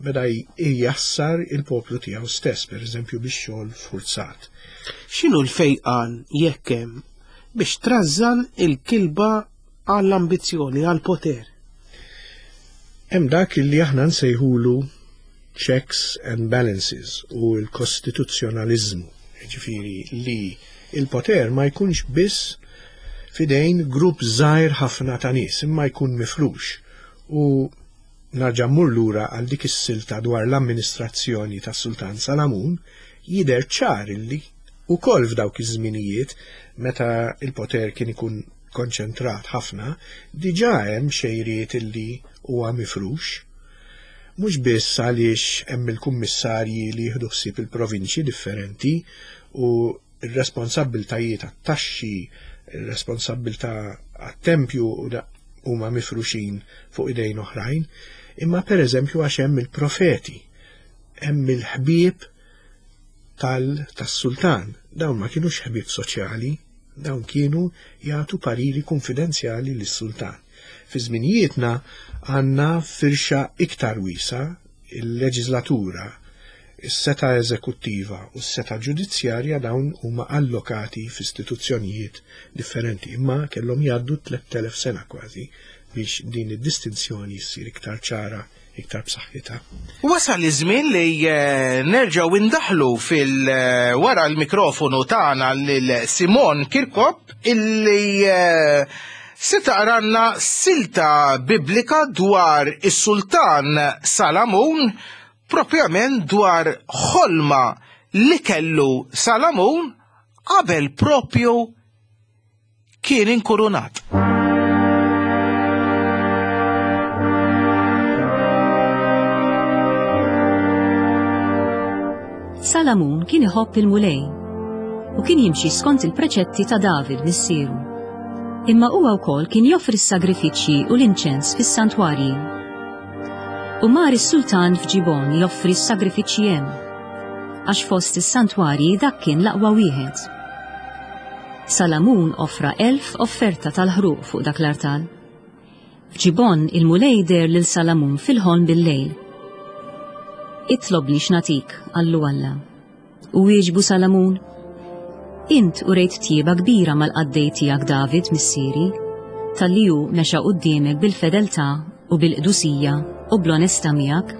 beda jjassar il-poplu tiegħu stess, per eżempju bix-xogħol forzat. X'inhu l-fejqan jekk hemm biex trażżan il-kilba għall-ambizzjoni, għall-poter? Hemm dak li aħna nsejħulu checks and balances u l-kostituzzjonaliżmu, jiġifieri li il-poter ma jkunx biss fidejn grupp żgħir ħafna ta' nies, imma jkun mifrux. U narġa' mmur lura għal dik is-silta dwar l-amministrazzjoni tas-Sultan Salamun, jidher ċar illi wkoll f'dawk iż-żminijiet meta l-poter kien ikun konċentrat ħafna, diġà hemm xejriet illi huwa mifrux. Mhux biss għaliex hemm il-kummissarji li jieħdu ħsieb il-provinċji differenti u r-responsabbiltajiet għat-taxxi, ir-responsabbiltà għat-tempju huma mifruxin fuq idejn oħrajn, imma pereżempju għax hemm il-profeti, hemm il-ħbieb tal-sultan. Dawn ma kinux ħbieb soċjali, dawn kienu jagħtu pariri kunfidenzjali lis-sultan. Fi żminijietna għandna firxa iktar wiesa il-leġislatura, is-setgħa eżekuttiva u s-setgħa ġudizzjarja dawn huma allokati f'istituzzjonijiet differenti, imma kellhom jgħaddu 3000 sena kważi biex din id-distinzjoni ssir iktar ċara iktar b'saħħitha. Wasal iż-żmien li eh, nerġgħu indaħlu fil eh, wara l-mikrofonu tagħna lil Simon Kirkop illi eh, se taqranna silta biblika dwar is-sultan Salamun propjament dwar ħolma li kellu Salamun qabel propju kien inkurunat. Salamun kien iħobb il-Mulej u kien jimxi skont il-preċetti ta' David missieru. Imma huwa wkoll kien joffri s-sagrifiċċji u l-inċens fis-santwarji. U mar is-sultan f'Ġibon joffri s-sagrifiċċji hemm, għax fost is-santwarji dak kien l-aqwa wieħed. Salamun offra 1,000 offerta tal-ħruq fuq dak l-artal. F'Ġibgħon il-Mulej deher lil Salamun fil-ħolm bil-lejl. Itlobni x'nagħtik, qallu Alla. U wieġbu Salamun, Int urejt tjieba kbira mal-qaddej tiegħek David missieri, talli hu mexa quddiemek bil-fedeltà u bil-qdusija u bl-onestà miegħek.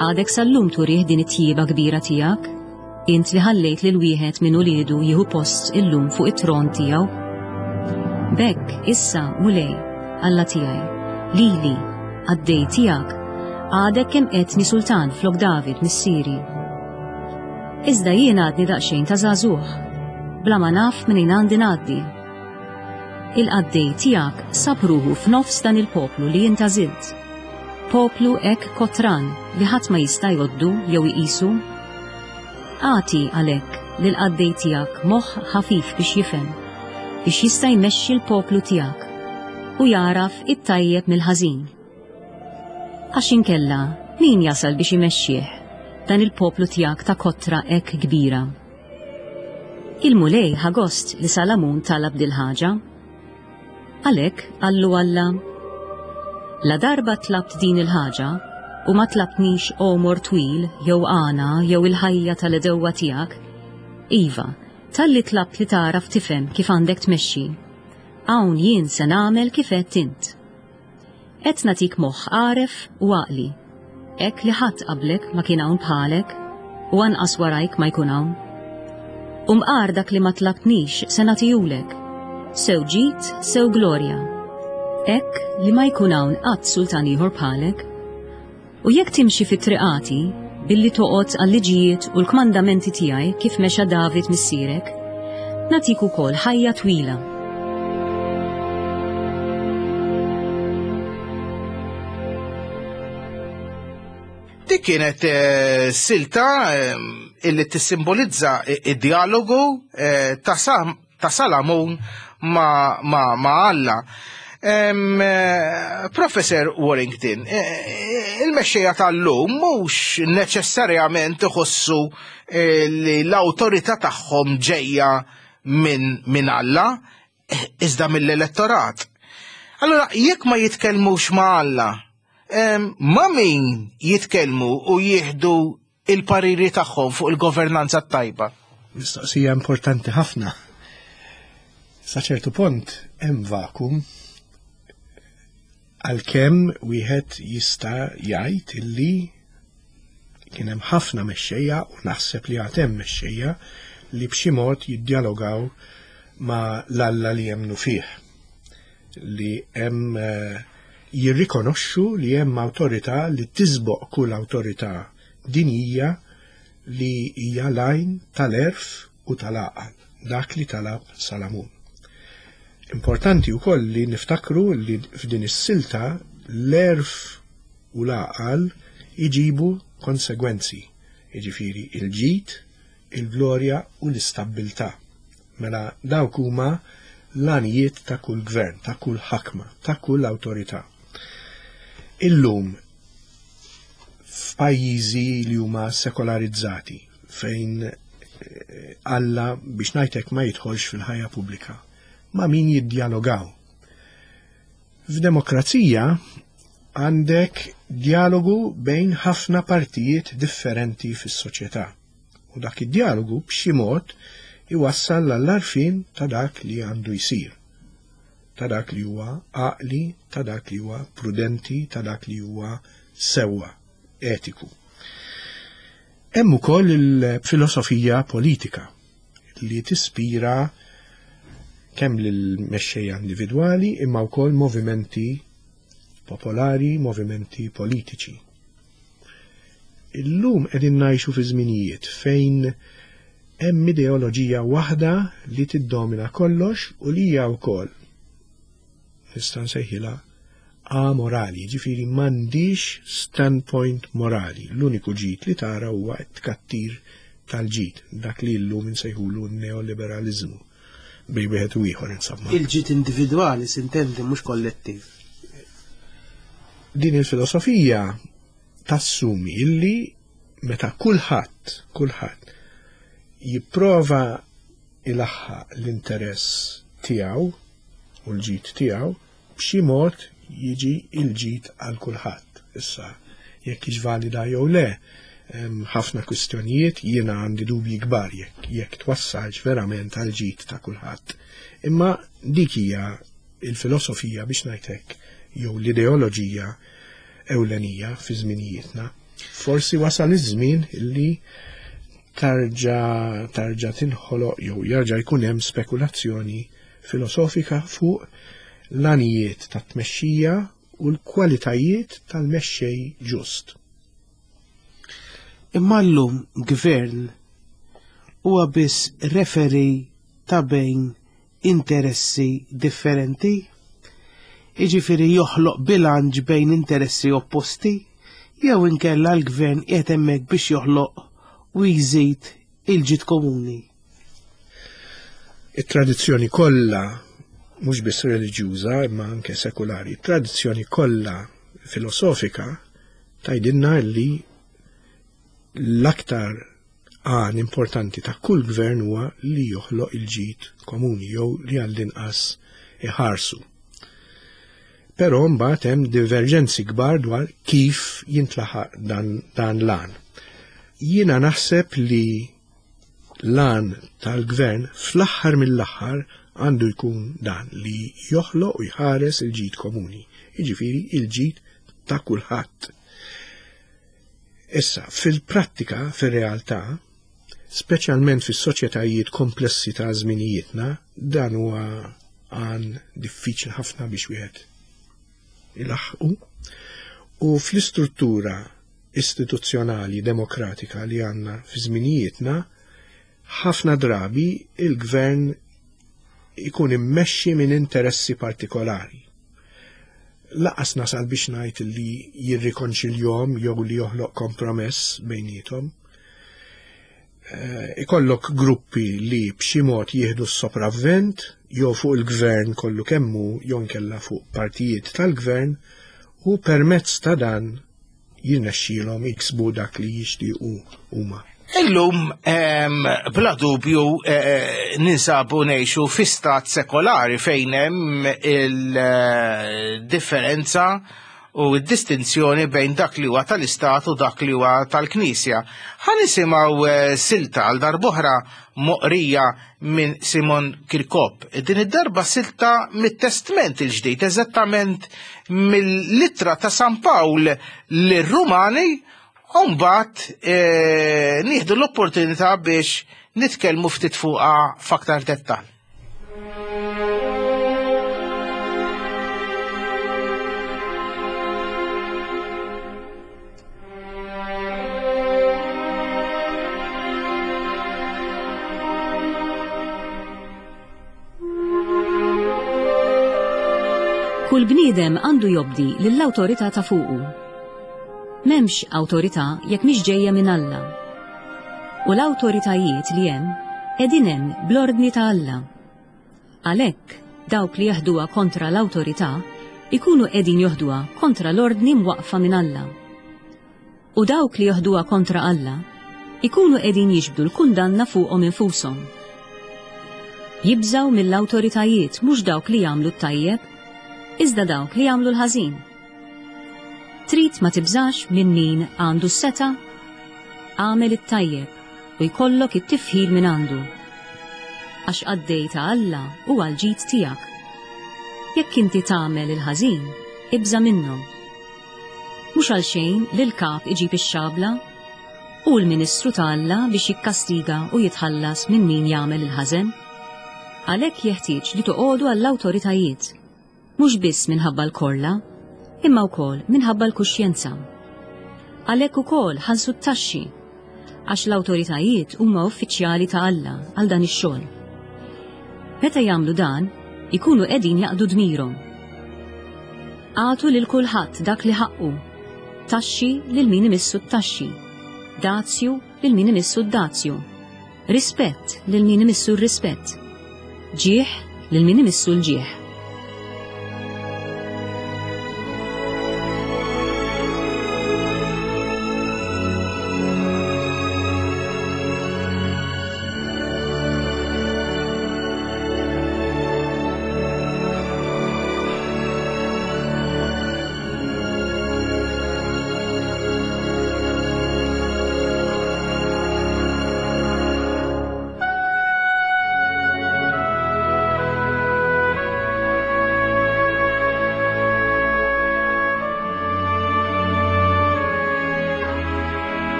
Għadek sal-lum turih din it-tjieba kbira tiegħek, Int li ħallejt lil wieħed minn uliedu jieħu post illum fuq it-tron tiegħu. B'hekk, issa, Mulej, Alla tiegħi, lili, qaddej tiegħek, għadek kemm qedtni sultan flok David missieri. Iżda jien għadni daqsxejn ta' żagħżugħ, bla ma naf minn għandi ngħaddi. Il-qaddej tiegħek sab ruħu f'nofs dan il-poplu li int għażilt. Poplu hekk kotran li ħadd ma jista' jgħoddu jew iqisu. Agħti, għalhekk, lill-qaddej tiegħek moħħ ħafif biex jifhem, biex jista' jmexxi l-poplu tiegħek u jagħraf it-tajjeb mill-ħażin. Għax inkella, Min jasal biex imexxih dan il-poplu tiegħek ta' kotra hekk kbira? Il-Mulej ħa gost li Salamun talab dil-ħaġa. Għalhekk qallu Alla, La darba tlabt din il-ħaġa u ma tlabtnix għomor twil jew għana jew il-ħajja tal-għedewwa tiegħek, iva, talli tlabt li tagħraf tifhem kif għandek tmexxi, hawn jien se nagħmel kif għedt int. Qed nagħtik moħħ għaref u għaqli, hekk li ħadd qablek ma kien hawn bħalek, u anqas warajk ma jkun hawn. U mqar dak li ma tlabtnix se nagħtihulek, sew ġid, sew glorja, hekk li ma jkun hawn qatt sultan ieħor bħalek. U jekk timxi fi triqati, billi toqgħod għal-liġijiet u l-kmandamenti tiegħi kif mexa David missierek, nagħtik ukoll ħajja twila. Dik kienet eh, silta eh, illi tissimbolizza id-dialogu eh, ta' ta' Salamun ma', ma, ma Alla. Eh, Professor Warrington, eh, eh, il-mexxejja tal-lum mhux neċessarjament iħossu li l-awtorità tagħhom ġejja minn min Alla, iżda mill-elettorat. Allora, jekk ma jitkellmux ma' Alla, ma' min jitkellmu u jieħdu il-pariri tagħhom fuq il-governanza t-tajba? Mistoqsija importanti ħafna. Sa ċertu punt hemm vakum għalkemm wieħed jista' jgħid illi kien hemm ħafna mexxejja u naħseb li għad hemm mexxejja li b'xi mod jiddjalogaw ma' l-Alla li jemmnu fih. Li hemm eh, jirrikonoxxu li hemm awtorità li tisboq kull awtorità dinjija li hija l-għajn tal-għerf u tal-għaqal, dak li talab Salamun. Importanti wkoll li niftakru li f'din is-silta l-għerf u l-għaqal iġibu konsegwenzi, jiġifieri il-ġid, il-glorja u l-istabbiltà. Mela dawk huma l-għanijiet ta' kull gvern, ta' kull ħakma, ta' kull awtorità. Illum f'pajjiżi li huma sekolarizzati fejn eh, Alla biex ngħidlek ma jidħolx fil-ħajja pubblika, ma' min jiddjalogaw. F'demokrazija għandek dialogu bejn ħafna partijiet differenti fis-soċjetà. U dak id-dialogu b'xi mod iwassal għall-għarfien ta' dak li għandu jsir, ta' dak li huwa għaqli, ta' dak li huwa prudenti, ta' dak li huwa sewwa, etiku. Hemm ukoll il-filosofija politika li tispira kemm lill-mexxejja individwali imma wkoll movimenti popolari, movimenti politiċi. Illum qegħdin ngħixu fi żminijiet fejn hemm ideoloġija waħda li tiddomina kollox u li hija wkoll nista' nsejħilha amorali, ġifieri m'għandix standpoint morali. L-uniku ġid li tara huwa t-tkattir tal-ġid, dak li llum insejħulu neoliberaliżmu bej wieħed u ieħor insomma. Il-ġid individwali sintendi mhux kollettiv. Din il-filosofija tassumi illi meta kulħadd, kulħadd jipprova ilaħħaq l-interess tiegħu u l-ġid tiegħu, b'xi mod jiġi l-ġid għal kulħadd. Issa, jekk hix valida jew le, ħafna kwistjonijiet jiena għandi dubji kbar jekk jekk twassalx verament għal ġid ta' kulħadd. Imma dik hija il-filosofija biex ngħid hekk jew l-ideoloġija ewlenija fi żminijietna. Forsi wasal iż-żmien illi tarġa' tarġa' tinħoloq jew jarġa' jkun hemm spekulazzjoni filosofika fuq l-għanijiet tat-tmexxija u l-kwalitajiet tal-mexxej ġust. Imma llum gvern huwa biss referee ta' bejn interessi differenti? Jiġifieri joħloq bilanċ bejn interessi opposti? Jew inkella l-gvern qiegħed hemmhekk biex joħloq u jżid il-ġid komuni? It-tradizzjoni kollha, mhux biss reliġjuża imma anke sekulari, it-tradizzjoni kollha filosofika Tgħidilna li l-aktar għan importanti ta' kull gvern huwa li joħloq il-ġid komuni jew li għall-inqas iħarsu. Però mbagħad hemm diverġenzi kbar dwar kif jintlaħaq dan, dan l-għan. Jiena naħseb li l-għan tal-gvern fl-aħħar mill-aħħar għandu jkun dan li joħloq u jħares il-ġid komuni, jiġifieri il-ġid ta' kulħadd. Issa, fil-prattika, fir-realtà, speċjalment fis-soċjetajiet komplessi ta' żminijietna, dan huwa għan diffiċli ħafna biex wieħed ilaħħqu. U fl-istruttura istituzzjonali demokratika li għandna fi żminijietna, ħafna drabi il-gvern ikun immexxi minn interessi partikolari. Laqas nasal biex ngħid li jirrikonċiljhom jew li joħloq kompromess bejniethom. Eh, ikollok gruppi li b'xi mod jieħdu s-sopravvent jew fuq il-gvern kollu kemmu jew inkella fuq partijiet tal-gvern u permezz ta' dan jirnexxielhom jiksbu dak li jixtiequ huma. Illum bla dubju eh, ninsabu ngħixu fi stat sekolari fejn hemm il-differenza u d-distinzjoni bejn dak li huwa tal-istat u dak li huwa tal-Knisja. Ħa nisimgħu eh, silta għal darb'oħra moqrija minn Simon Kirkop. Din id-darba silta mit-Testment il-ġdid, eżattament mill-ittra ta' San Pawl lir-Rumani, u mbagħad eh, nieħdu l-opportunità biex nitkellmu ftit fuqha f'aktar dettall. Kull bniedem għandu jobdi lill-awtorità ta' fuqu. M'hemmx awtorità jekk mhix ġejja minn Alla. U l-awtoritajiet li hemm qegħdin hemm bl-ordni ta' Alla. Għalhekk, dawk li jeħduha kontra l-awtorità jkunu qegħdin joħduha kontra l-ordni mwaqqfa minn Alla. U dawk li joħduha kontra Alla jkunu qegħdin jiġbdu l-kundanna fuqhom infushom. Jibżgħu mill-awtoritajiet mhux dawk li jagħmlu t-tajjeb, iżda dawk li jagħmlu l-ħażin. Trid ma tibżax minn min għandu s-setgħa? Agħmel it-tajjeb u jkollok it-tifħir minn għandu. Għax qaddej ta' Alla hu għall-ġid tiegħek. Jekk inti tagħmel il-ħażin, ibża' minnhom. Mhux għalxejn li l-kap iġib ix-xabla. Hu l-ministru ta' Alla biex jikkastiga u jitħallas minn min jagħmel il-ħażen. Għalhekk jeħtieġ li toqogħdu għall-awtoritajiet, mhux biss minħabba l-korla, imma wkoll minħabba l-kuxjenza. Għalhekk ukoll ħallsu t-taxxi, għax l-awtoritajiet huma uffiċjali ta' Alla għal dan ix-xogħol. Meta jagħmlu dan, ikunu qegħdin jaqdu dmirhom. Agħtu lil kulħadd dak li ħaqqu, taxxi lil min imissu t-taxxi, dazju lil min imissu d-dazju, rispett lil min imissu r-rispett, ġieħ lil min imissu l-ġieħ.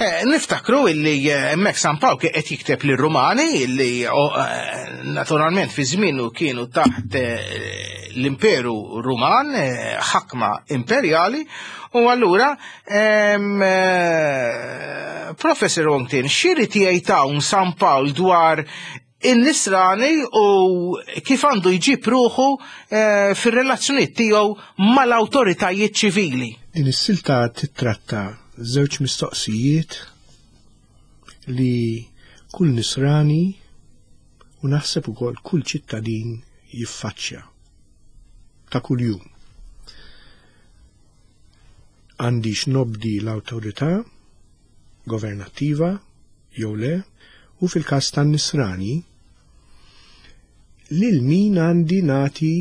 Eh, niftakru illi eh, hemmhekk San Pawl qed jikteb lir Rumani illi eh, naturalment fi żmienu kienu taħt l-Imperu Ruman, ħakma imperjali, u allura Professor Wongtin, x'irid jgħid hawn San Pawl dwar in-nisrani u kif għandu jġib ruħu eh, fir-relazzjonijiet tiegħu mal-awtoritajiet ċivili. Din is-silta titratta żewġ mistoqsijiet li kull nisrani u naħseb ukoll kull ċittadin jiffaċċja ta' kuljum. Għandix nobdi l-awtorità governattiva jew le, u fil-każ tan-nisrani lil min għandi nagħti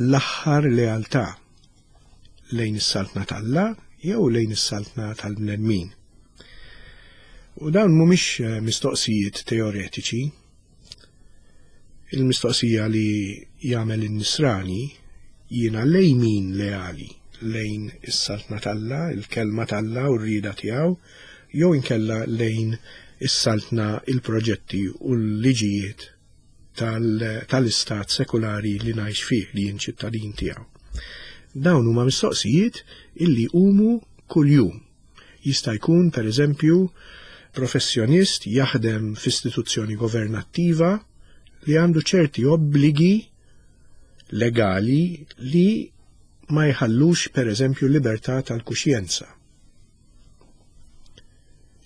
l-aħħar lealtà lejn is-saltna t'Alla jew lejn is-saltna tal-bnedmin. U dawn mhumiex eh, mistoqsijiet teoretiċi. Il-mistoqsija li jagħmel in-nisrani jiena lejn min leali lejn is-saltna t'Alla, il-kelma t'Alla u r-rieda tiegħu, jew inkella lejn is-saltna, il-proġetti u l-liġijiet tal-istat sekulari li ngħix fih li jien ċittadin tiegħu. Dawn huma mistoqsijiet illi jqumu kuljum. Jista' jkun, per eżempju, professjonist jaħdem f'istituzzjoni governattiva li għandu ċerti obbligi legali li ma jħallux, per eżempju, libertà tal-kuxjenza.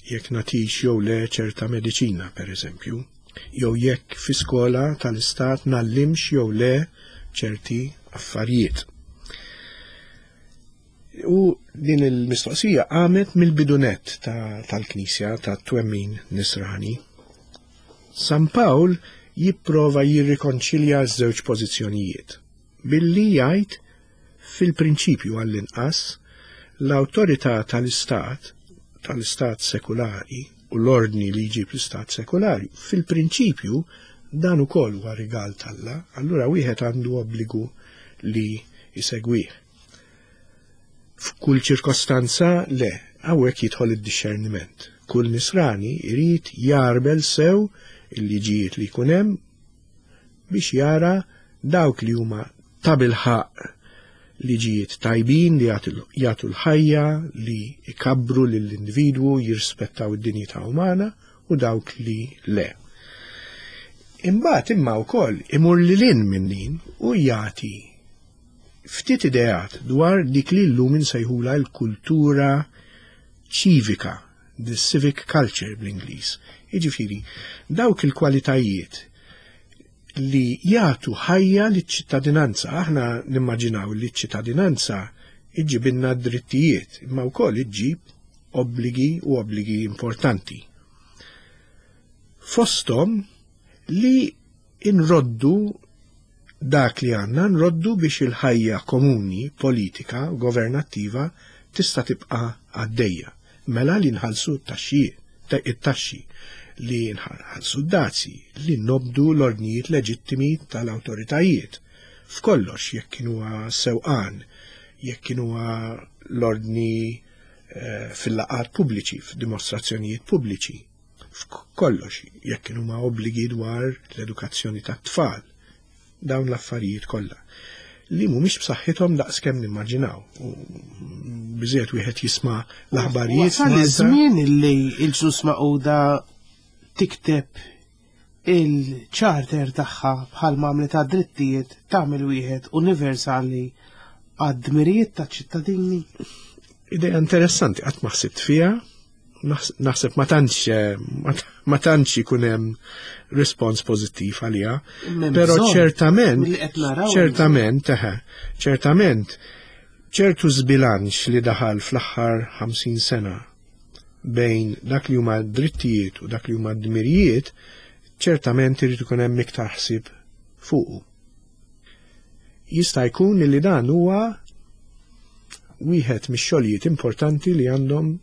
Jekk nagħtix jew le ċerta mediċina, per eżempju, jew jekk fi skola tal-istat ngħallimx jew le ċerti affarijiet. U din il-mistoqsija qamet mill-bidunet tal-Knisja ta tat-twemmin nisrani. San Pawl jipprova jirrikonċilja ż-żewġ pożizzjonijiet billi jgħid Fil-prinċipju għall-inqas, l-awtorità tal-istat, tal-istat sekulari u l-ordni li jġib l-istat sekulari, fil-prinċipju dan ukoll huwa rigal t'Alla, allura wieħed għandu obbligu li jsegwih. F'kull ċirkostanza le, hawnhekk jidħol id-dixxerniment. Kull nisrani jrid jarbel sew il-liġijiet li jkun hemm biex jara dawk li huma tabilħaqq liġijiet tajbin li jagħtu l-ħajja, li jkabbru lill-individwu, jirrispettaw id-dinjità umana u dawk li le. Imbagħad imma wkoll imur lil hinn minn din u jagħti ftit ideat dwar dik li llum insejħulha l-kultura ċivika the civic culture bl-Ingliż. Jiġifieri, dawk il-kwalitajiet li jagħtu ħajja liċ-ċittadinanza. Aħna nimmaġinaw li ċ-ċittadinanza iġġibilna drittijiet, imma wkoll iġġib obbligi u obbligi importanti. Fosthom li inroddu dak li għandna nroddu biex il-ħajja komuni, politika, governattiva tista' tibqa' għaddejja. Mela li nħallsu t-taxxi, li nħallsu d-dazji, li nobdu l-ordnijiet leġittimi tal-awtoritajiet. F'kollox, jekk kienu sewqan, jekk kienu l-ordni eh, fil-laqgħat pubbliċi, f'dimostrazzjonijiet pubbliċi. F'kollox, jekk kienu ma' obbligi dwar l-edukazzjoni tat-tfal, dawn l-affarijiet kollha li mhumiex b'saħħithom daqskemm nimmaġinaw. U biżejjed wieħed jisma' l-aħbarijiet. Wasal iż-żmien li l-ġnus maquda tikteb il-charter tagħha bħal għamlet għad-drittijiet tagħmel wieħed universali għad-dmirijiet taċ-ċittadini. Idea interessanti qatt ma ħsibt fiha, naħseb ma tantx eh, ma tantx ikun hemm rispons pożittiv għaliha. Però ċertament, ċertament, ċertament, ċertu żbilanċ li daħal fl-aħħar 50 sena bejn dak li huma drittijiet u dak li huma dmirijiet, ċertament irid ikun hemm iktar ħsieb fuqu. Jista' jkun li dan huwa wieħed mix-xogħlijiet importanti li għandhom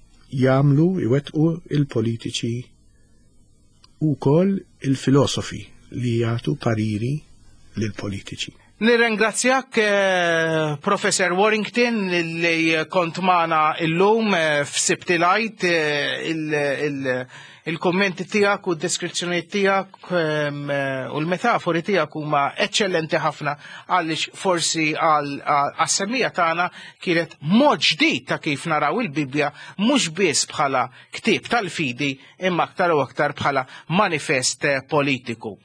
jagħmlu iwettqu il-politiċi u wkoll il-filosofi li jagħtu pariri lill-politiċi. Nirringrazzjak eh, Professor Warrington li kont magħna illum eh, f'Sibti Light eh, il-kommenti tiegħek u d-deskrizzjoni tiegħek ehm, u l-metafori tiegħek huma eċċellenti ħafna għaliex forsi għas-semmija tagħna kienet mod ġdid ta' kif naraw il-Bibbja mhux biss bħala ktieb tal-fidi imma aktar u aktar bħala manifest politiku.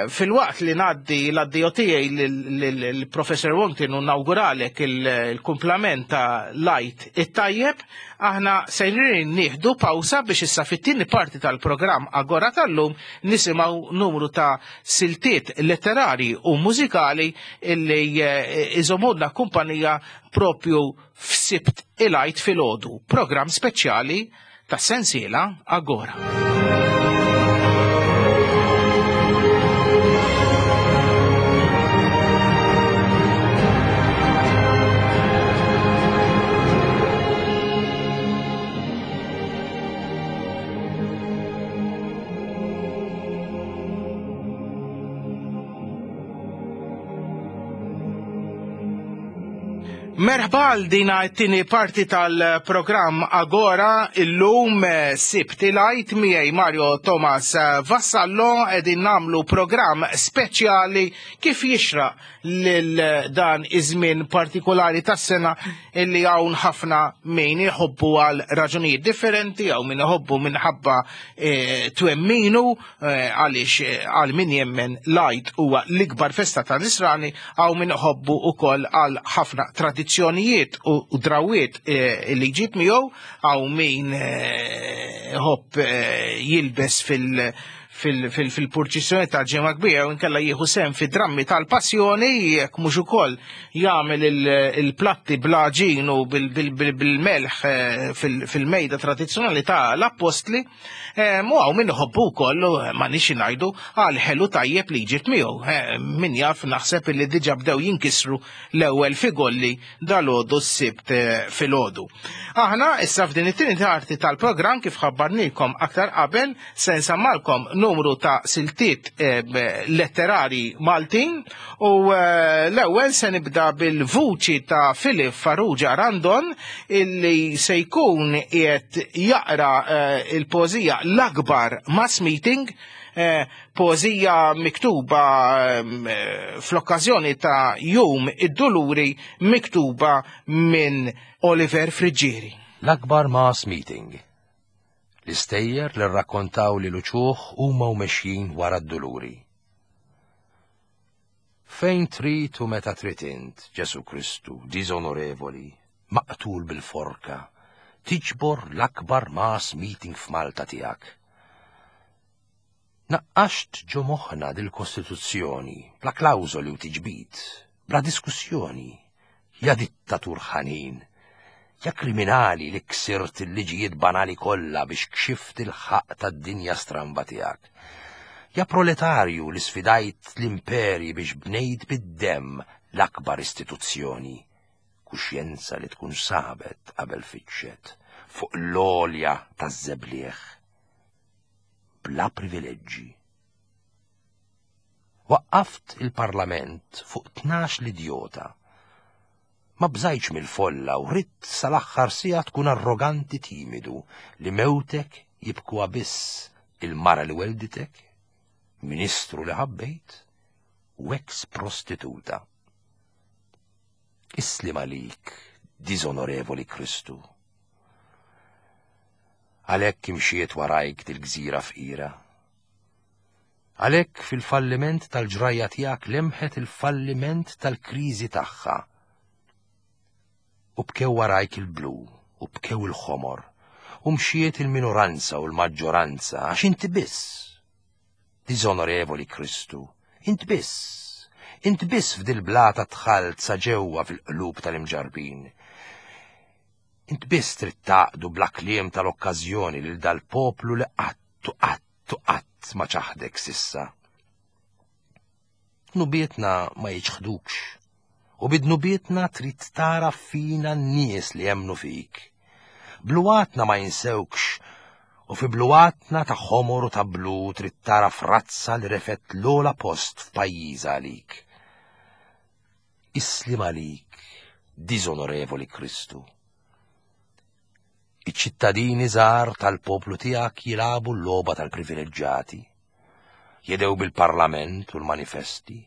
Filwaqt li ngħaddi l-addio tiegħi lill-Professor Wongtin u nawguralek il-kumplament ta' l-Għid it-tajjeb, aħna sejrin nieħdu pawsa biex issa fit-tieni parti tal-programm Agora tal-lum nisimgħu numru ta' siltiet letterari u mużikali illi eh, iżomulna kumpanija propju f'Sibt il-Għid filgħodu, programm speċjali tas-sensiela Agora. Merħba għal dina t-tieni parti tal-programm Agora illum eh, Sibt il-Għid miegħi Mario Thomas Vassallo qegħdin nagħmlu programm speċjali kif jixraq lil dan iż-żmien partikolari tas-sena illi hawn ħafna min iħobbu għal raġunijiet differenti hawn min iħobbu minħabba eh, twemminu eh, għaliex eh, għal min jemmen l-Għid huwa l-ikbar festa ta' nisrani hawn min iħobbu ukoll għal ħafna tradizzjonijiet u drawiet li jġib miegħu hawn min iħobb jilbes fil- fil-purċissjoni ta' ġimgħa kbira u nkella jieħu sehem fi drammi tal-passjoni jekk mhux ukoll jagħmel il-platti bl-għaġin u bil-melħ eh, fil-mejda tradizzjonali ta' l-appostli eh, mu hawn min iħobbu wkoll ma nix ngħidu għal ħelu tajjeb li jġib miegħu. Eh, min jaf naħseb li diġà bdew jinkisru l-ewwel figolli dal-għodu s-sibt filgħodu. Aħna issa f'din it-tieni parti tal-programm kif ħabbarnikom aktar qabel se nsammalkom numru ta' siltiet eh, letterari Maltin u eh, l-ewwel se nibda bil-vuċi ta' Filip Farrugia Randon illi se jkun qiegħed jaqra eh, il-poeżija l-akbar mass meeting poeżija miktuba fl-okkażjoni ta' Jum id-Duluri miktuba minn Oliver Friggieri. L-akbar mass meeting. L-istejjer li rrakkontaw li l-uċuħ huma u mexjin wara d-duluri. Fejn trid u meta trid int, Ġesu Kristu, diżonorevoli, maqtul bil-forka, tiġbor l-akbar mass meeting f'Malta tiegħek. Naqqaxt ġo moħħna dil-Kostituzzjoni, bla klawżoli u tiġbid, bla diskussjoni, ja dittatur ħanin, ja kriminali li ksirt il-liġijiet banali kollha biex kxift il-ħaqq tad-dinja stramba tiegħek. Ja proletarju li sfidajt l-imperi biex bnejt bid-demm l-akbar istituzzjoni, kuxjenza li tkun sabet qabel fittxet fuq l-għolja taż-żebliħ bla privileġġi. Waqqaft il-Parlament fuq 12 l-idjota. Ma bżajtx mill-folla u ridt sal-aħħar siegħa tkun arroganti timidu li mewtek jibkuha biss il-mara li welditek, ministru li ħabbejt u ex prostituta. Islim għalik, diżonorevoli Kristu. Għalhekk imxiet warajk dil-gżira fqira. Għalhekk fil-falliment tal-ġrajja tiegħek lemħet il-falliment tal-kriżi tagħha. U bkew warajk il-blu, u bkew il-ħomor, u mxiet il-minoranza u l-maġġoranza għax inti biss. Diżonorevoli Kristu, int biss, int biss f'dil-blata dħalt sa ġewwa fil-qlub tal-imġarrbin. Int biss trid tgħaqqdu bla kliem tal-okkażjoni lil dal-poplu li qatt u qatt u qatt ma ċaħdek s'issa. Dnubietna ma jiċħdukx, u bi dnubietna trid tara fina n-nies li jemmnu fik. Bluwatna ma jinsewkx, u fi bluwatna ta' ħomor u ta' blu trid tara frazza li refet l-ogħla post f'pajjiżha għalik. Islim għalik, diżonorevoli Kristu. Iċ-ċittadini żgħar tal-poplu tiegħek jilagħbu l-logħba tal-privileġġati. Jedew bil-parlament u l-manifesti.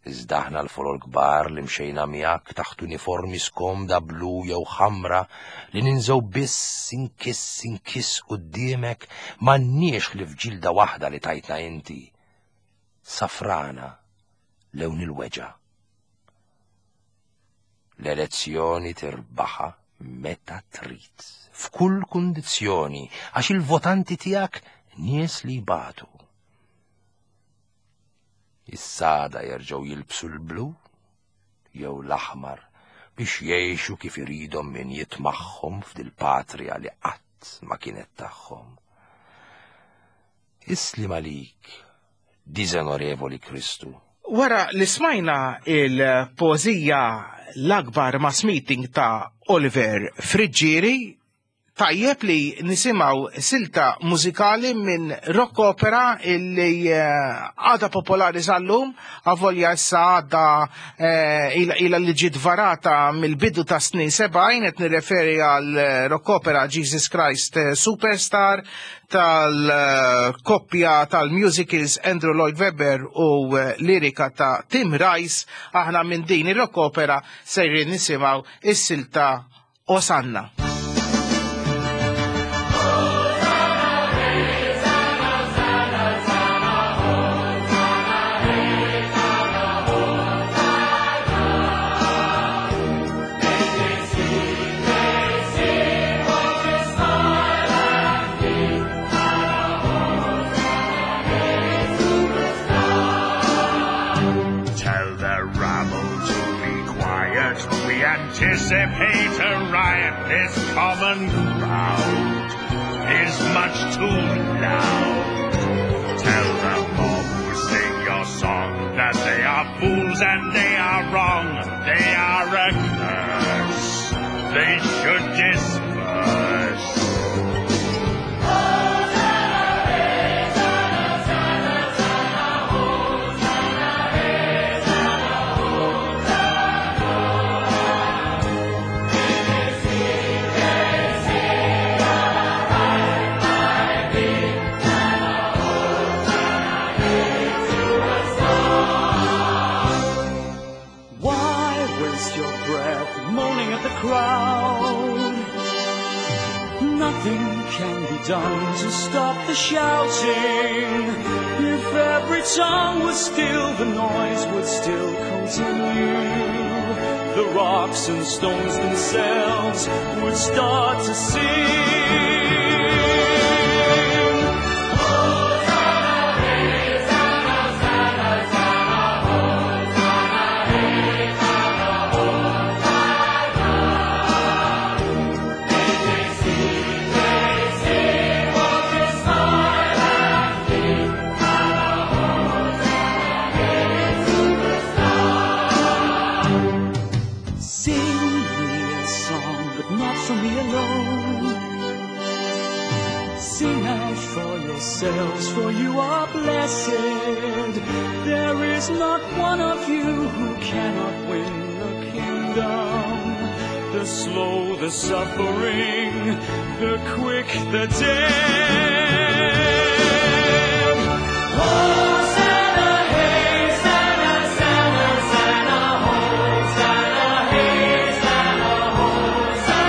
Iżda aħna l-folol kbar li mxejna miegħek taħt uniformi skomda blu jew ħamra li ninżgħu biss inkiss inkiss quddiemek m'għandniex li f'ġilda waħda li tajtna inti. Safrana lewn il-weġgħa. L-elezzjoni tirbaħha meta trid, f'kull kundizzjoni, għax il-votanti tiegħek nies li jbatu. Is-sada jerġgħu jilbsu l-blu jew l-aħmar biex jgħixu kif iridhom min jitmagħhom f'dil-patrija li qatt ma kienet tagħhom. Islim għalik, diżonorevoli Kristu. Wara li smajna il-poeżija L-Akbar Mass Meeting ta' Oliver Friggieri, Tajjeb li nisimgħu silta mużikali minn rock opera illi eh, għadha popolari sal-lum, avolja issa għadha eh, ila li ġiet varata mill-bidu ta' snin 70, qed nirreferi għal eh, rock opera Jesus Christ Superstar tal-koppja tal-musicals Andrew Lloyd Webber u lirika ta' Tim Rice, aħna minn din ir-rock opera sejrin nisimgħu is-silta Osanna. Tell the rabble to be quiet. We anticipate a riot. This common crowd is much too loud. Tell the mob who sing your song that they are fools and they are wrong. They are a curse. They should disperse. Why waste your breath moaning at the crowd? Nothing can be done to stop the shouting. If every tongue was still, the noise would still continue. The rocks and stones themselves would start to sing. Sing me a song, but not for me alone. Sing out for yourselves, for you are blessed. There is not one of you who cannot win the kingdom. The slow, the suffering, the quick, the dead. Hosanna, Hosanna, Hosanna, Hosanna, Hosanna, Hosanna.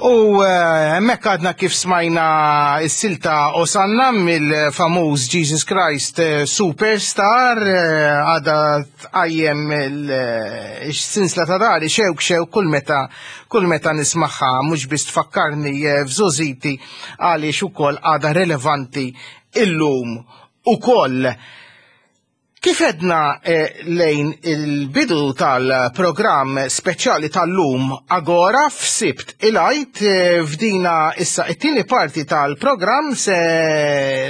U eh, hemmhekk għadna kif smajna s-silta Osanna mill-famuż Jesus Christ eh, Superstar eh, għadha tqajjem il-sinsla ta' dari xewk xewk kull meta kull meta nismaħħa mhux biss tfakkarni f'żożiti għaliex ukoll għadha relevanti illum ukoll. Kif edna eh, lejn il-bidu tal-programm speċjali tal-lum Agora f'Sibt il-Għid eh, f'dina issa it-tieni parti tal-programm se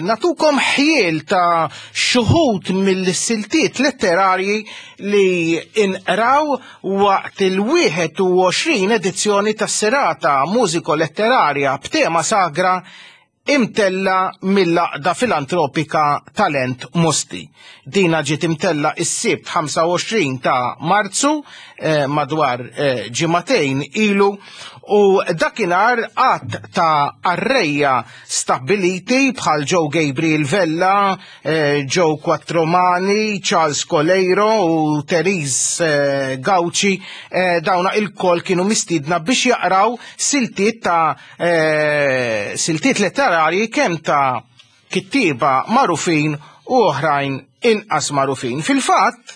natukom ħjiel ta' xuħut mill-siltiet letterarji li inqraw waqt il-21 edizzjoni tas-serata mużiko-letterarja b'tema sagra imtella mill-Għaqda Filantropika Talent Mosti. Dina ġiet imtella is-Sibt 25 ta' Marzu eh, madwar eh, ġimagħtejn ilu u dakinhar għadd ta' qarrejja stabbiliti bħal Joe Gabriel Vella, eh, Joe Quattromani, Charles Coleiro u Therese eh, Gauci eh, dawna il-kol kienu mistiedna biex jaqraw siltiet ta' Eh, siltiet letterarji kemm ta' kittieba magħrufin u oħrajn inqas magħrufin. Fil-fatt,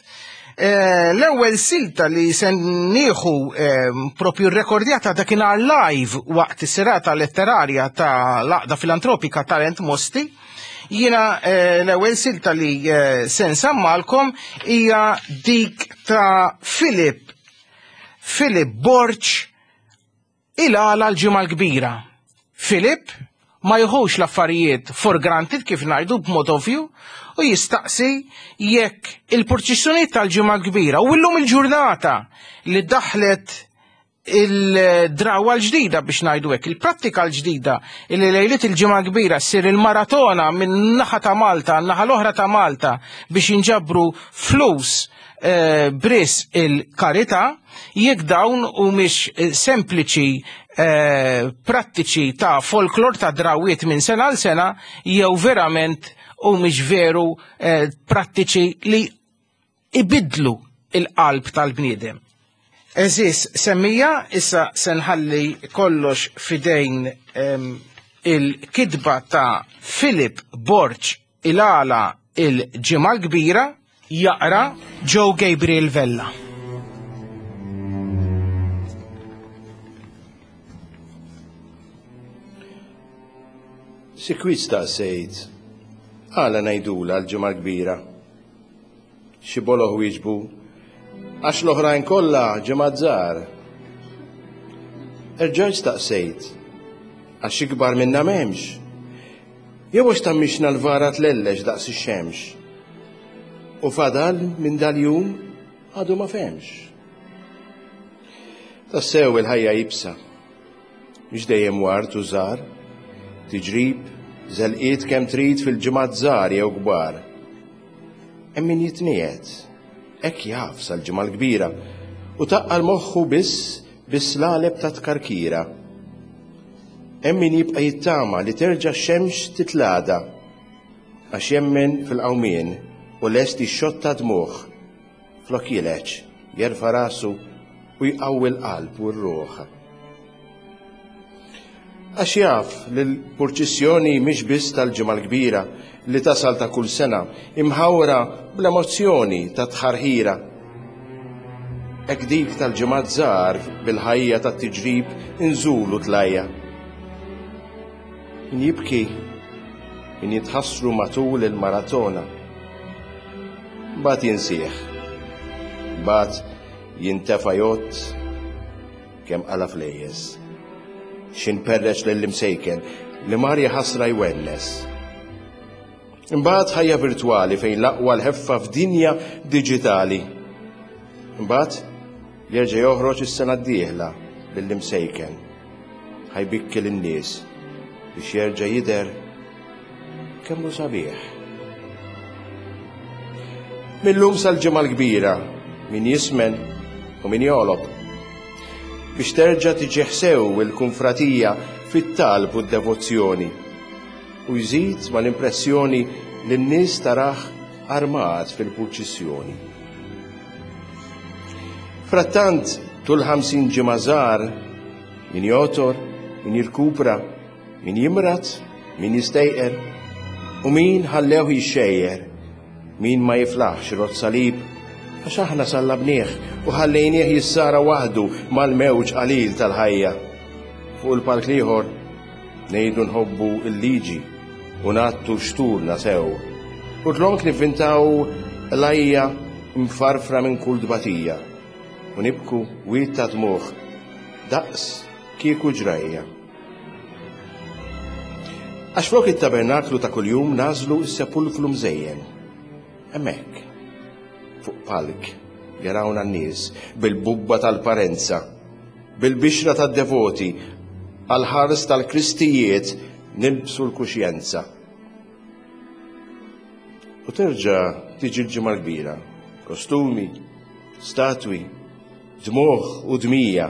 eh, l-ewwel silta li se nieħu eh, propju rrekordjata dakinhar live waqt is-serata letterarja ta' l-Għaqda Filantropika Talent Mosti, jiena l-ewwel silta li se nsammalkom hija dik ta' Philip Philip Borg Il-għala l-Ġimgħa l-Kbira. Philip ma jieħux l-affarijiet for granted kif ngħidu b'mod ovvju u jistaqsi jekk il-purċissjonijiet tal-Ġimgħa l-Kbira u llum il-ġurnata li daħlet il-drawa l-ġdida biex ngħidu hekk, il-prattika l-ġdida li lejliet il-Ġimgħa Kbira ssir il-maratona minn naħa ta' Malta naħa l-oħra ta' Malta biex jinġabru flus eh, bris il-karità jekk dawn humiex eh, sempliċi eh, prattiċi ta' folklor ta' drawiet minn sena għal sena jew verament humiex veru eh, prattiċi li ibidlu il-qalb tal-bniedem. Eżis, semmija, issa senħalli kollox fidejn ehm, il-kidba ta' Philip Borg Il-għala il-Ġimgħa l-Kbira jaqra Joe Gabriel Vella. Sikwit staqsejt, għala ngħidulha l-Ġimgħa l-Kbira? Xi boloh wieġbu, Għax l-oħrajn kollha ġimgħat żgħar. Erġajt staqsejt, Għax ikbar minna m'hemmx? Jew għax tgħammixna l-vara tlellex daqs ix-xemx? U fadal minn dal-jum għadu ma fehmx. Tassew il-ħajja iebsa. Mhix dejjem ward u żgħar, tiġrib, żelqiet kemm trid fil-ġimgħat żgħar jew kbar. Hemm min jitniegħed, hekk jaf sal-Ġimgħa l-Kbira, u taqqal moħħu biss bis-slaleb ta' tkarkira. Hemm min jibqa' jittama li terġa' x-xemx titlagħda, għax jemmen fil-qawmien u lest jixxotta dmugħ. Flok jileġ, jerfa' rasu u jqawwi l-qalb u r-ruħ. Għax jaf li l-purċissjoni mhix biss tal-Ġimgħa l-Kbira li tasal ta' kull sena, imħawra bl-emozzjoni ta' tħarħira. Hekk dik tal-ġimgħat żgħar bil-ħajja tat-tiġrib inżul u tlajja. Min jibki, min jitħassru matul il-maratona. Mbagħad jinsih. Mbagħad jintefa' jgħodd kemm qala flejjes. X'in perreċ lill-imsejken li mar jaħasra jwennes. Imbagħad ħajja virtwali fejn l-aqwa l-ħeffa f'dinja diġitali. Imbagħad jerġa' joħroġ is-sena d-dieħla lill-imsejken. Ħajbikki lin-nies biex jerġa' jidher kemm hu sabiħ. Millum sal-Ġimgħa l-Kbira min jismen u min jogħlob. Biex terġa' tiġi sew il-kunfratija fit-talb u d-devozzjoni u jżid mal-impressjoni li n-nies tarah armat fil-purċissjoni. Frattant, tul 50 ġimgħa żgħar, min jotor, min jirkupra, Min jimrad, min jistejqer, u min ħallewh jixxejjer, min ma jiflaħx irott salib, għax aħna sallabnieh u ħallejnieh jissara waħdu mal-mewġ qalil tal-ħajja. Fuq il-palk l-ieħor ngħidu nħobbu l-liġi u ngħattu xturna sew. U dlonk nivvintaw qlajja mfarfra minn kull tbatija u nibku wied ta' dmugħ daqs kieku ġrajja. Għax flok it-tabernaklu ta' kuljum nagħżlu s-sepulklu mżejjen. Hemmhekk, fuq palk, jarawna n-nies bil-bubba tal-parenza, bil-bixra tad-devoti, għall-ħars tal-Kristijiet Nilbsu l-kuxjenza. U terġa' tiġi l-Ġimgħa l-Kbira. Kostumi, statwi, dmugħ u dmija.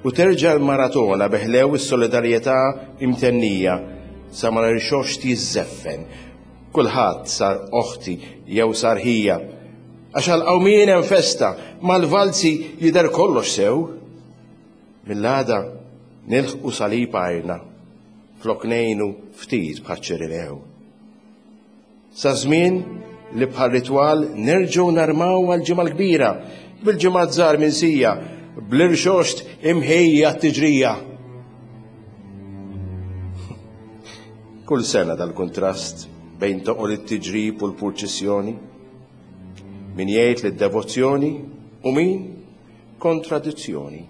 U terġa' l-maratona bi ħlew is-solidarjetà imtennija sa ma l-irxoxt jiżżeffen. Kulħadd sar oħti jew sar ħija. Għax għall-qawmien hemm festa, mal-valzi jidher kollox sew. Mill-għada nilħqu salib għajrna, flok ngħinu ftit bħaċ-Ċirinew. Sa żmien li bħal ritwal nerġgħu narmaw għall-Ġimgħa l-Kbira, bil-ġimgħat żgħar minsija, bl-irxoxt imħejji għat-tiġrija. Kull sena dal-kuntrast bejn toqol it-tiġrib u l-purċissjoni. Min jgħid li d-devozzjoni u min kontradizzjoni.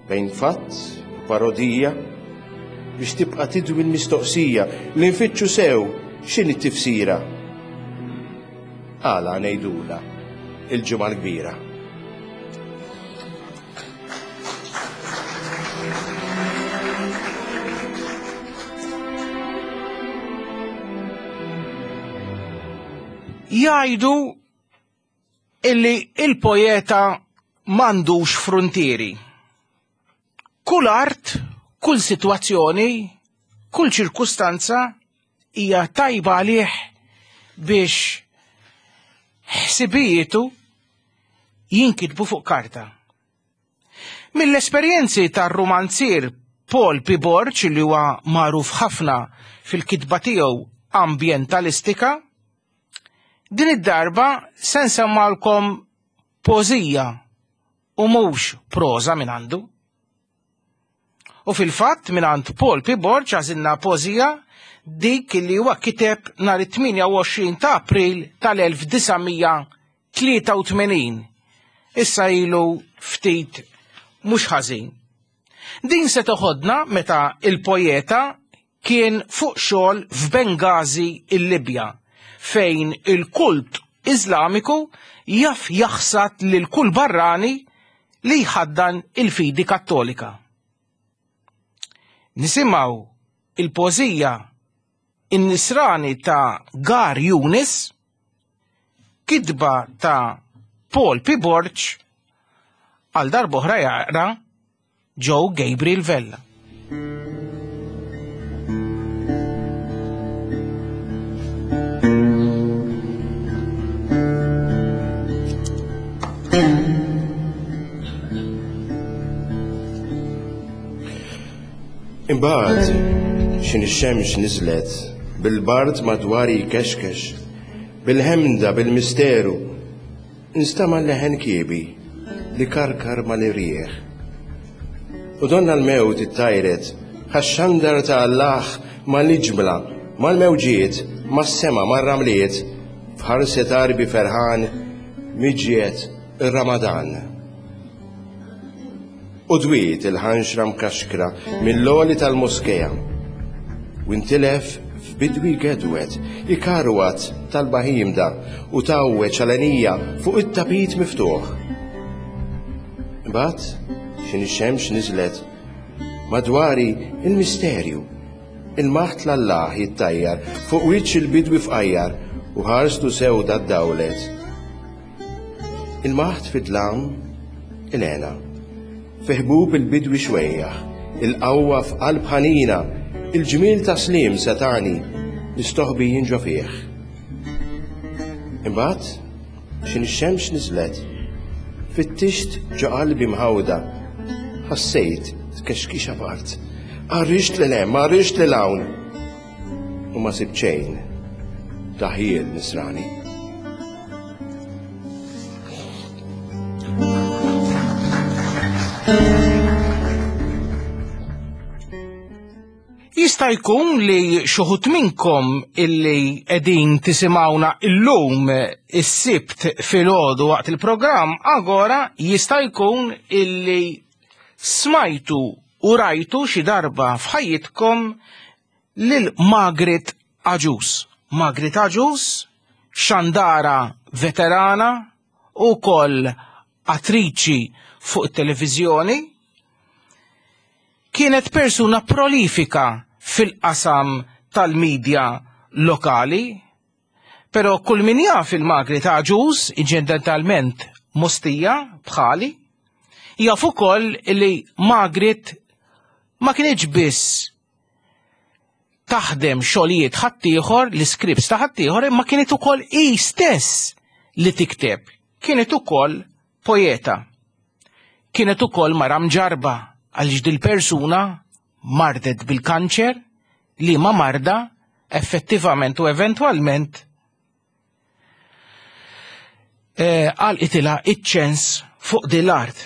Bejn fatt u parodija biex tibqa' tidwi l-mistoqsija li nfittxu sew x'inhi t-tifsira. Għala ngħidulha il-Ġimgħa l-Kbira. Jgħidu illi il-poeta m'għandux fruntieri. Kull art, kull sitwazzjoni, kull ċirkustanza hija tajba għalih biex ħsibijietu jinkitbu fuq karta. Mill-esperjenzi tar-rumanzier Paul P. Borg li huwa magħruf ħafna fil-kitba tiegħu ambjentalistika, din id-darba se nsemmalkom poeżija u mhux proża minn għandu. U fil-fatt mingħand Paul P. Borg għażilna poeżija dik li huwa kiteb nhar it-28 ta' April tal-1983. Issa ilu ftit mhux ħażin. Din se toħodna meta il-poeta kien fuq xogħol f'Bengazi il-Libja, fejn il-kult Iżlamiku jaf jaħsad lil kull barrani li jħaddan il-fidi Kattolika. Nisimgħu il-poeżija In-Nisrani ta' Gar Younis, kitba ta' Paul P. Borg, għal darb'oħra jaqra Joe Gabriel Vella. Imbagħad x'in ix-xemx niżlet, bil-bard madwari jkexkex, bil-ħemda bil-misteru, Nstama' leħen kiebi li karkar mal-irjieħ. U donna l-mewt ittajret bħax-xandar ta' Allah mal-iġmla, mal-mewġiet, mas-sema, mar-ramliet, f'ħarset għarbi ferħan miġjet ir-Ramadan. U dwiet il-ħanxra mkaxkra mill-għoli tal-moskea. U intilef f'bidwi gedwed, ikarwat tal-baħimda u tgħawweġ għalenija fuq it-tapit miftuħ. Imbagħad x'inhi x-xemx niżlet madwari il-misterju, il-maħt l-Allah jittajjar fuq wiċċ il-bidwi fqajjar u ħarstu sewda ddawlet. Il-maħt fid-dlam, il-hena. Fi ħbub il-bidwi xwejjaħ, il-qawwa f'qalb ħanina, il-ġmiel ta' sliem setgħani, nistoħbi jien ġo fih. Imbagħad, x'in ix-xemx niżlet, fittixt ġo qalbi mħawda, ħassejt tkexkixa bart, għarrixt lil hemm, għarrixt lil hawn. U ma sibt xejn ta' ħjiel nisrani. Jista' jkun li xuħut minnkom illi qegħdin tisimgħuna illum is-Sibt filgħodu waqt il-programm Agora jista' jkun illi smajtu u rajtu xi darba f'ħajjitkom lil Margaret Agius. Margaret Agius, xandara veterana u koll attriċi fuq it-televiżjoni, kienet persuna prolifika fil-qasam tal-medja lokali. Però kull min jaf il-Magri ta' Agius, inċidentalment Mostija, bħali, jaf ukoll li Margaret ma kinitx biss taħdem xogħlijiet ħaddieħor, l-iscripts ta' ħaddieħor, imma kienet ukoll hi stess li tikteb. Kienet ukoll poeta. Kienet ukoll mara mġarba għaliex dil-persuna mardet bil-kanċer li ma marda effettivament u eventwalment eh, għalqitilha iċ-ċens fuq din l-art.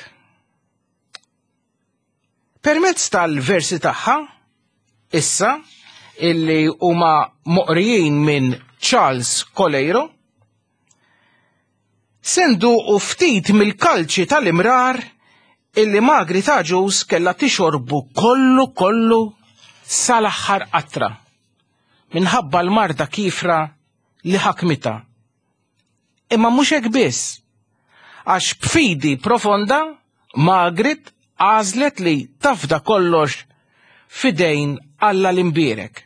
Permezz tal-versi tagħha, issa, illi huma moqrijin minn Charles Coleiro, se nduqu ftit mill-kalċi tal-imrar illi Magri ta' Agius kellha tixorbu kollu kollu sal-aħħar qatra minħabba l-marda kiefra li ħakmitha. Imma mhux hekk biss, għax b'fidi profonda Margaret għażlet li tafda kollox f'idejn Alla l-Imbierek.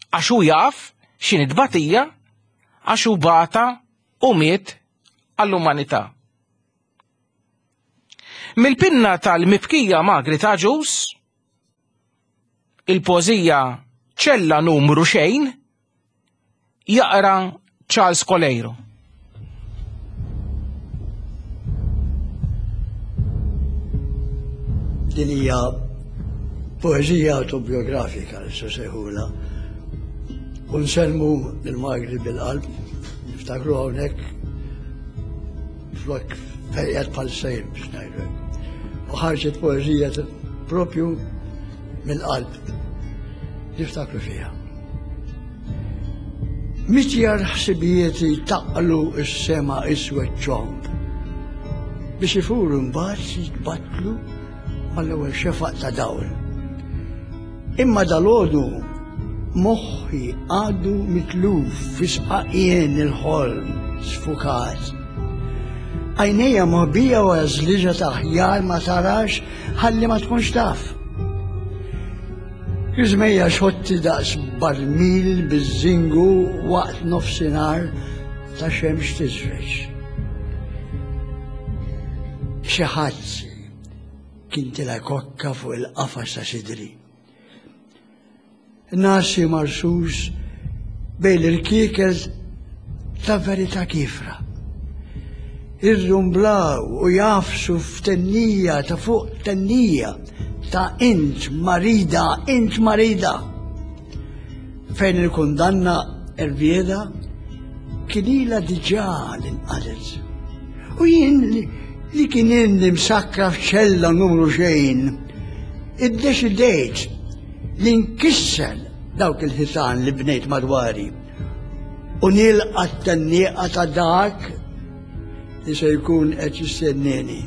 Għax hu jaf x'inhi tbatija, għax hu bata u miet għall-umanità. Mill-pinna tal-mibkija Margaret Agius, il-poeżija Ċella numru xejn, jaqra Charles Coleiro. Din hija poeżija autobiografika li se sejħula. U nsellmu lil Margaret bil-qalb, niftakru hawnhekk flok fejqet bħal sejr biex ngħidu. U ħarġet poeżija propju mill-qalb. Niftakru fiha. Mitjar ħsibijiet jtaqlu s-sema iswed ċomb biex ifuru mbagħad jitbattlu mal-ewwel xefaq ta' dawl. Imma dalgħodu moħħi għadu mitluf fi sqaqien il-ħolm sfukat. Għajnejja moħbija wara żliġa ta' ħjar ma tarax ħalli ma tkunx taf. Iżmejja xotti daqs barmil biż-żingu waqt nofsinhar ta' xemx tiżreġ. Xi ħadd kien tila kokka fuq il-qafas ta' sidri. Nasi marsus bejn l-irkiekel ta' verità kiefra. Irrumblaw u jagħfsu f'tennija ta' fuq tennija ta' int marida, int marida. Fejn il-kundanna erbieda kien ilha diġà li nqalet. U jien li kien ilni msakkra f'ċella numru xejn, iddeċidejt li nkisser dawk il-ħitan li bnejt madwari u nilqa' t-tennieqa ta' dak li se jkun qed jistennieni.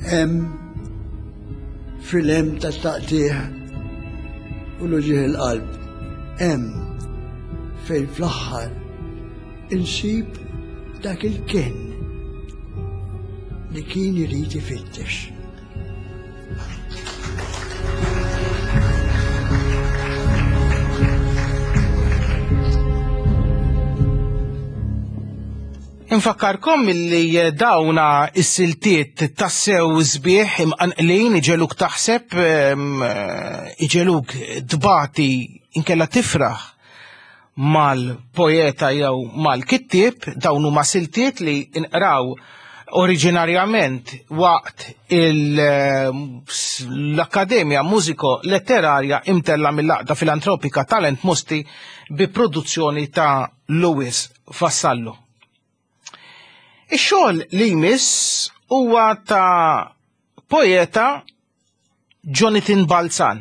Hemm fil-hemm ta' taqtigħ u l-uġigħ il-qalb. Hemm fejn fl-aħħar insib dak il-kenn li kien irid ifittex. Infakkarkom illi dawna is-siltiet tassew sbieħ imqanqlin iġeluk taħseb, iġeluk tbati inkella tifraħ mal-poeta jew mal-kittieb, dawn huma siltiet li nqraw oriġinarjament waqt l-Akkademja Mużiko Letterarja imtella mill-Għaqda Filantropika Talent Mosti bi produzzjoni ta' Louis Vassallo. Ix-xogħol li jmiss huwa ta' poeta Jonathan Balzan.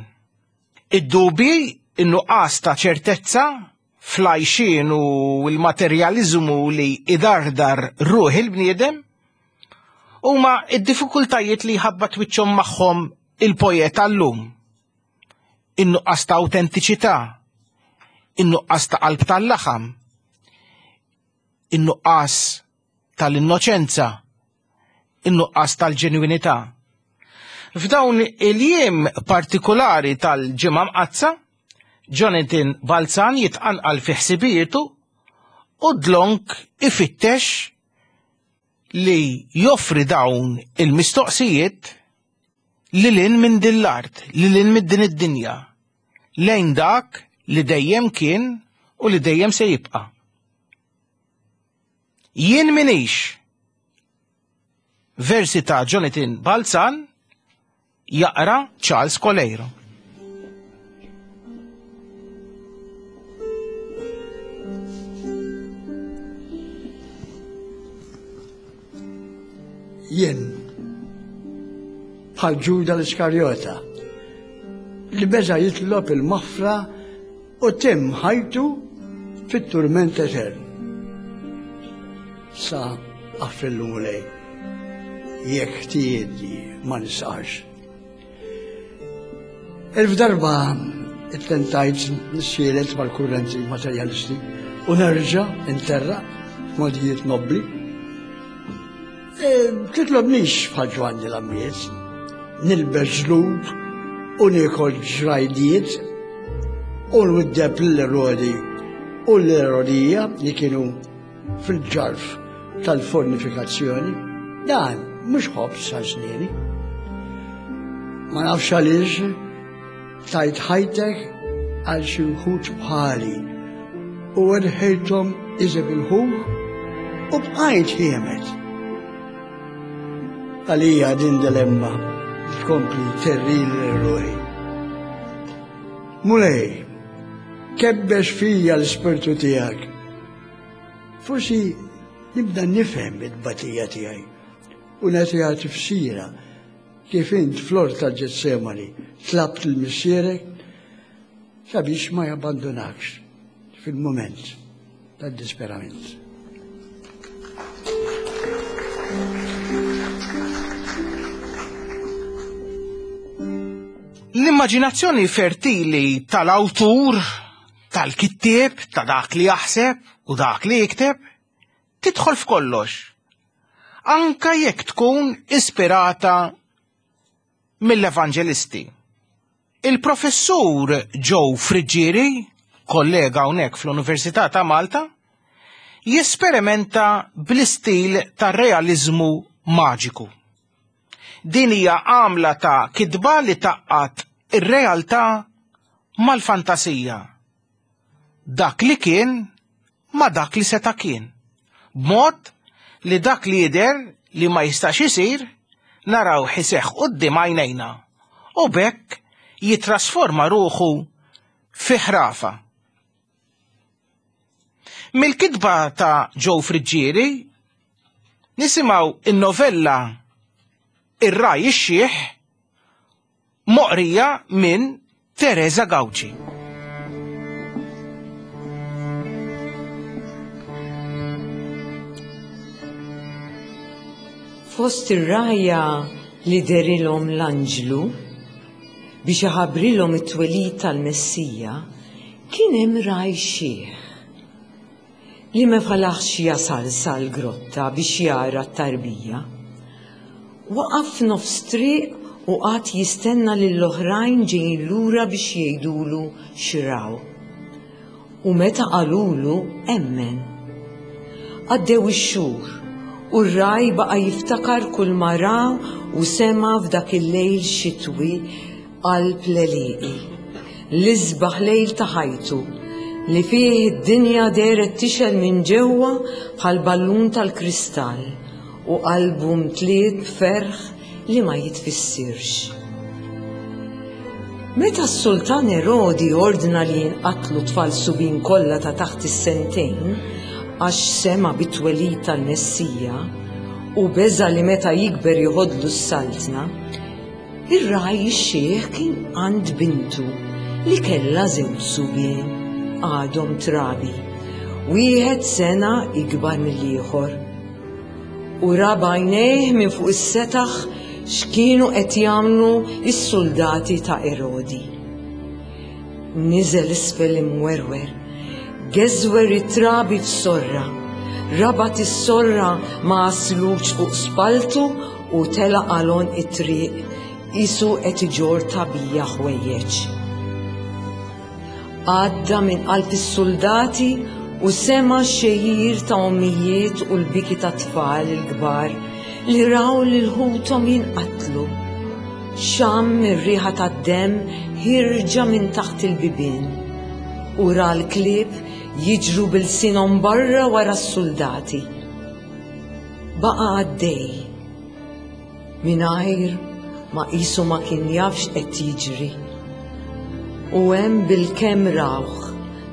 Id-dubji, in-nuqqas ta' ċertezza fl-għajxien u l-materjaliżmu li idardar ruħ il-bniedem huma d-diffikultajiet li jħabbat wiċċhom magħhom il-poeta llum. In-nuqqas ta' awtentiċità, in-nuqqas ta' qalb tal-laħam, in-nuqqas tal-innoċenza, in-nuqqas tal-ġenwinità. F'dawn il-jiem partikulari tal-Ġimgħa Mqaddsa, Jonathan Balzan jitqanqal fi ħsibijietu u dlonk ifittex li joffri dawn il-mistoqsijiet lil hinn minn din l-art, lil hinn minn din id-dinja, lejn dak li dejjem kien u li dejjem se jibqa'. Jien minix Versi ta' Jonathan Balzan jaqra Charles Coleiro. Jien bħal Ġuda l-Iskarjota li beża jitlob il-maħfra U temm ħajtu fit-turment etern. Sa aħfrillu Mulej, jekk ħtijieti ma nisqax. Elf darba ittentajt nissielet mal-kurrenti materjalisti u nerġa' interra f'modijiet nobbli. E, titlobnix bħal Ġwanni l-Ammiet, nilbes ġlud u niekol ġrajdiet u nwiddeb l-Erodi u l-Erodija li kienu fil-ġarf tal-fornifikazzjoni. Dan mhux ħobż għal Ma nafx għaliex Tajt ħajtek għal xi wħud bħali u erħejthom iżeb il-ħuħ u bqajt ħiemet. Għalija din dilemma tkompli terrili ruħi. Mulej, kebbex fija l-ispirtu tiegħek. Forsi nibda nifhem it-tbatija tiegħi u nagħtiha tifsira Kif int fl-ort tal-Ġetsemani tlabt lil Missierek sabiex ma jabbandunakx fil-mument tad-disperament. L-immaġinazzjoni fertili tal-awtur, tal-kittieb, ta' dak li jaħseb u dak li jikteb, tidħol f'kollox, anka jekk tkun ispirata mill-evanġelisti. Il-professur Joe Friggieri, kollega hawnhekk fl-Università ta' Malta, jesperimenta bl-istil tar-realiżmu maġiku. Din hija għamla ta' kitba li taqqat ir-realtà mal-fantasija. Dak li kien ma' dak li seta' kien, b'mod li dak li jidher li ma jistax isir narawh iseħħ quddiem għajnejna u b'hekk jittrasforma ruħu fi ħrafa. Mill-kitba ta' Joe Friggieri nisimgħu in-novella Ir-Ragħaj ix-Xiħ Moqrija minn Teresa Gauci. Fost ir-rgħajja li dehrilhom l-anġlu biex iħabbrilhom it-twelid tal-Messija, kien hemm ragħaj xiħ. Li ma falaħx jasal sal-grotta biex jara t-tarbija. Waqaf f'nofs triq u qagħad jistenna lill-oħrajn ġejjin lura biex jgħidulu x'raw. U meta qalulu emmen. Għaddew ix-xhur u r-ragħaj baqa' jiftakar kulma ra u sema' f'dak il-lejl xitwi qalb l-għelieqi, l-isbaħ lejl ta' ħajtu, li fih id-dinja dehret tixgħel minn ġewwa bħal ballun tal-kristall u qalbu mtliet b'ferħ li ma jitfissirx. Meta s-sultan Erodi ordna li jinqatlu t-tfal subien kollha ta' taħt is-sentejn għax sema' bit-twelid tal-Messija u beża' li meta jikber joħodlu s-saltna, Ir-ragħaj ix-xiħ kien għand bintu li kellha żewġ subien għadhom trabi, wieħed sena ikbar mill-ieħor. U ra b'għajnejh minn fuq is-setaħ x'kienu qed jagħmlu s-suldati ta' Erodi. Niżel isfel imwerwer, geżwer it-trabi f'sorra, rabat is-sorra ma' għasluġ fuq spalltu u telaq għal għonq it-triq. qisu qed iġorr tagħbija ħwejjeġ. Għadda minn qalb is-suldati u sema' x-xejjir ta' ommijiet u l-biki ta' tfal il-kbar li raw lil ħuthom jinqatlu. Xamm ir-riħa tad-demm ħierġa minn taħt il-bibien u ra l-klieb jiġru b'ilsienhom barra wara s-suldati. Baqa' għaddej. Mingħajr ma qisu ma kien jaf x'qed jiġri. U hemm bilkemm rawh,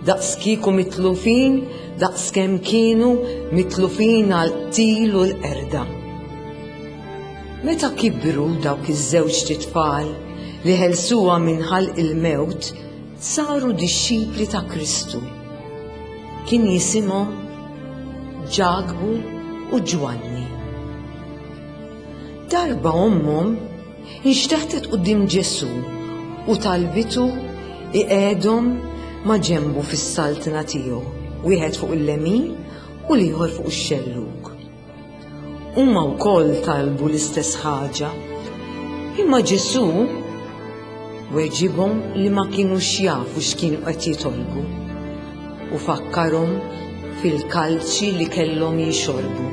daqskieku mitlufin daqskemm kienu mitlufin għall-qtil u l-qerda. Meta kibru dawk iż-żewġt itfal li ħelsuha minn ħalq il-mewt, saru dixxipli ta' Kristu. Kien jisimhom Ġakbu u Ġwanni. Darba ommhom inxteħtet quddiem Ġesù u talbitu iqegħedhom ma' ġenbu fis-saltna tiegħu, wieħed fuq il-lemin u l-ieħor fuq ix-xellug. Huma wkoll talbu l-istess ħaġa. Imma Ġesù weġibhom li ma kinux jafu x'kienu qed jitolbu u fakkarhom fil-kalċi li kellhom jixorbu.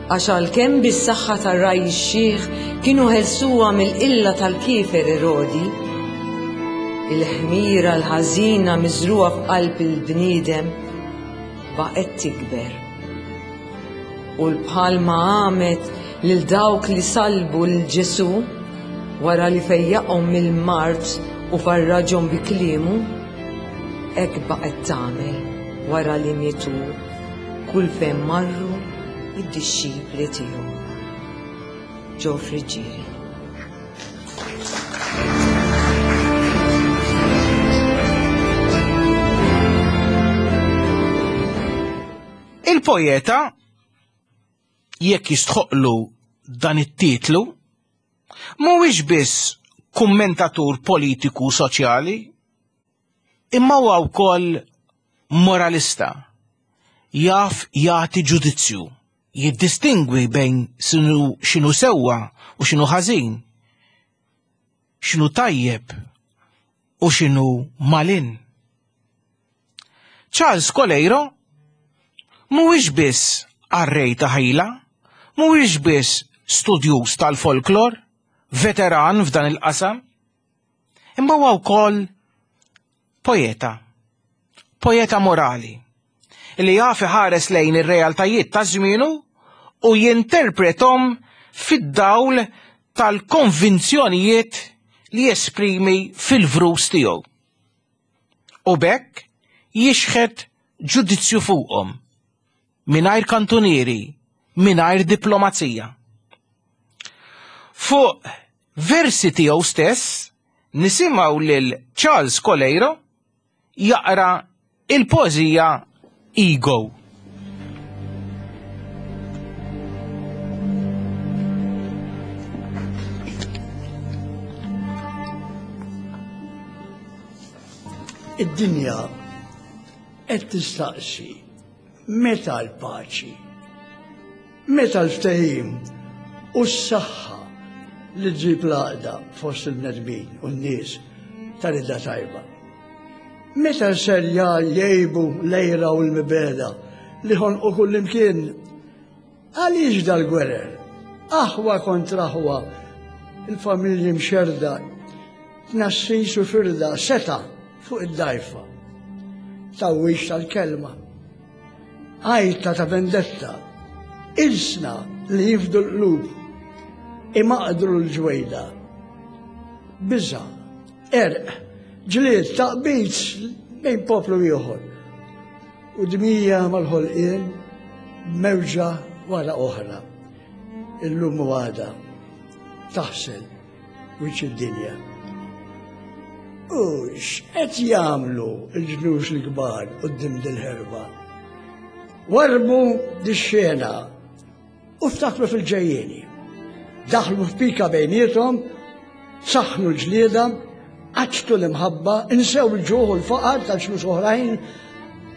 Għax għalkemm bis-saħħa tar-ragħaj ix-xiħ kienu ħelsuha mill-qilla tal-kiefer Erodi, il-ħmira l-ħażina miżrugħa f'qalb il-bniedem baqgħet tikber. U l-bħalma għamet lil dawk li salbu lil Ġesù wara li fejjaqhom mill-mard u farraġhom bi kliemu, hekk baqgħet tagħmel wara li mietu kull fejn marru id-dixxipli tiegħu. Ġo Friggieri. Il-poeta jekk jistħoqlu dan it-titlu, mhuwiex biss kummentatur politiku soċjali, imma huwa wkoll moralista. Jaf jagħti ġudizzju, jiddistingwi bejn x'inhu sewwa u x'inhu ħażin, x'inhu tajjeb u x'inhu malin. Charles Coleiro mhuwiex biss qarrej ta' ħila, mhuwiex biss studjuż tal-folklor, veteran f'dan il-qasam, imma huwa wkoll poeta, poeta morali, li jaf iħares lejn ir-realtajiet ta' żmienu u jinterpretom fid-dawl tal-konvinzjonijiet li jesprimi fil-vrus tiegħu. U b'hekk jixħet ġudizzju fuqhom mingħajr kantunieri, mingħajr diplomazija. Fuq versi tiegħu stess nisimgħu lil Charles Coleiro jaqra il-poeżija Ego. Id-dinja qed tistaqsi meta l-paċi, meta l-ftehim u s-saħħa li ġġib l-għaqda fost il-bnedmin u n-nies ta' rida tajba. Meta ser jgħibu l-għira u l-mibegħda li ħonqu kullimkien? Għaliex dal-gwerer? Aħwa kontra aħwa, il-familji mxerda, tnassis u firda, seta' fuq id-dajfa. Tawwix tal-kelma. Għajta ta' vendetta, ilsna li jifdu l-qlub, imaqdru l-ġwejda. Biża' Qerq, ġlied, taqbid bejn poplu ieħor. U dmija mal-ħolqien mewġa wara oħra. Illum u għada taħsel wiċċ id-dinja. U x'qed jagħmlu l-ġnus l-kbar quddiem dil-ħerba? Warbu dix-xena U ftakru fil-ġejjieni. Daħlu f'pika bejniethom, saħħnu l-ġlieda, qaċċtu l-imħabba, insew il-ġuħ u l-faqar ta' ġnus oħrajn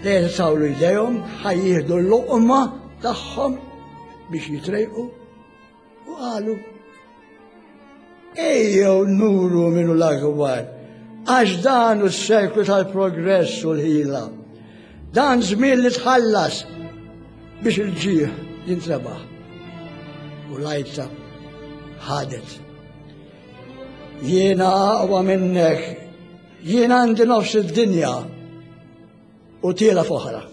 li jtawlu jdejhom, ħa jieħdu l-loqma tagħhom biex jitrejqu u qalu. Ejjew nuru min hu l-akbar, għax dan hu s-seklu tal-progress u l-ħila. Dan żmien li tħallas biex il-ġieħ jintrebaħ. U l-għajta ħadet. Jiena aqwa minnek, jiena għandi nofs id-dinja u tiela f'oħra.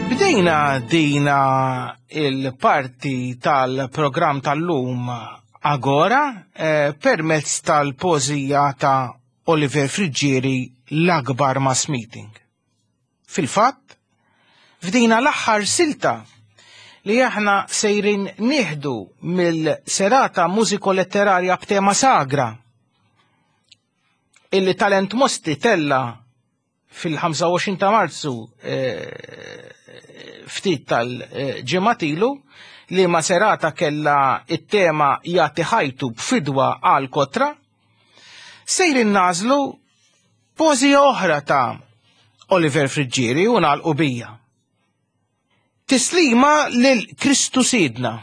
Bdejna dina il-parti tal-programm tal-lum Agora eh, permezz tal-pożija ta' Oliver Friggieri l-akbar mass meeting. Fil-fatt, f'dina l-aħħar silta li aħna sejrin nieħdu mill-serata mużiko-letterarja b'tema sagra illi Talent Mosti tella fil-25 ta' Marzu eh, ftit tal-ġimgħat ilu li ma serata kella it-tema jagħti ħajtu b'fidwa għal kotra, sejrin nażlu pożija oħra ta' Oliver Friggieri u nagħlqu bija. Tislima lil Kristu Sidna.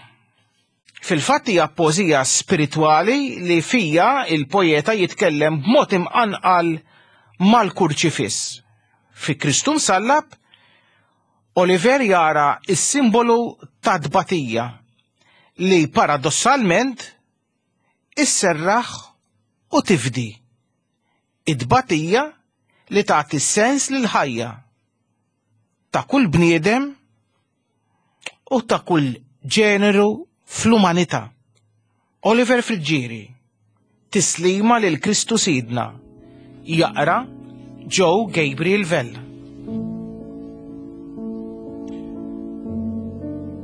Fil-fatt hija pożija spiritwali li fija il-poeta jitkellem b'mod imqanqal mal-kurċifiss. Fi Kristu msallab, Oliver jara s-simbolu ta' tbatija li paradossalment isserraħ u tifdi. It-tbatija li tagħti sens lill-ħajja ta' kull bniedem u ta' kull ġeneru fl-umanità. Oliver Friggieri, Tislima lil Kristu Sidna, jaqra Joe Gabriel Vella.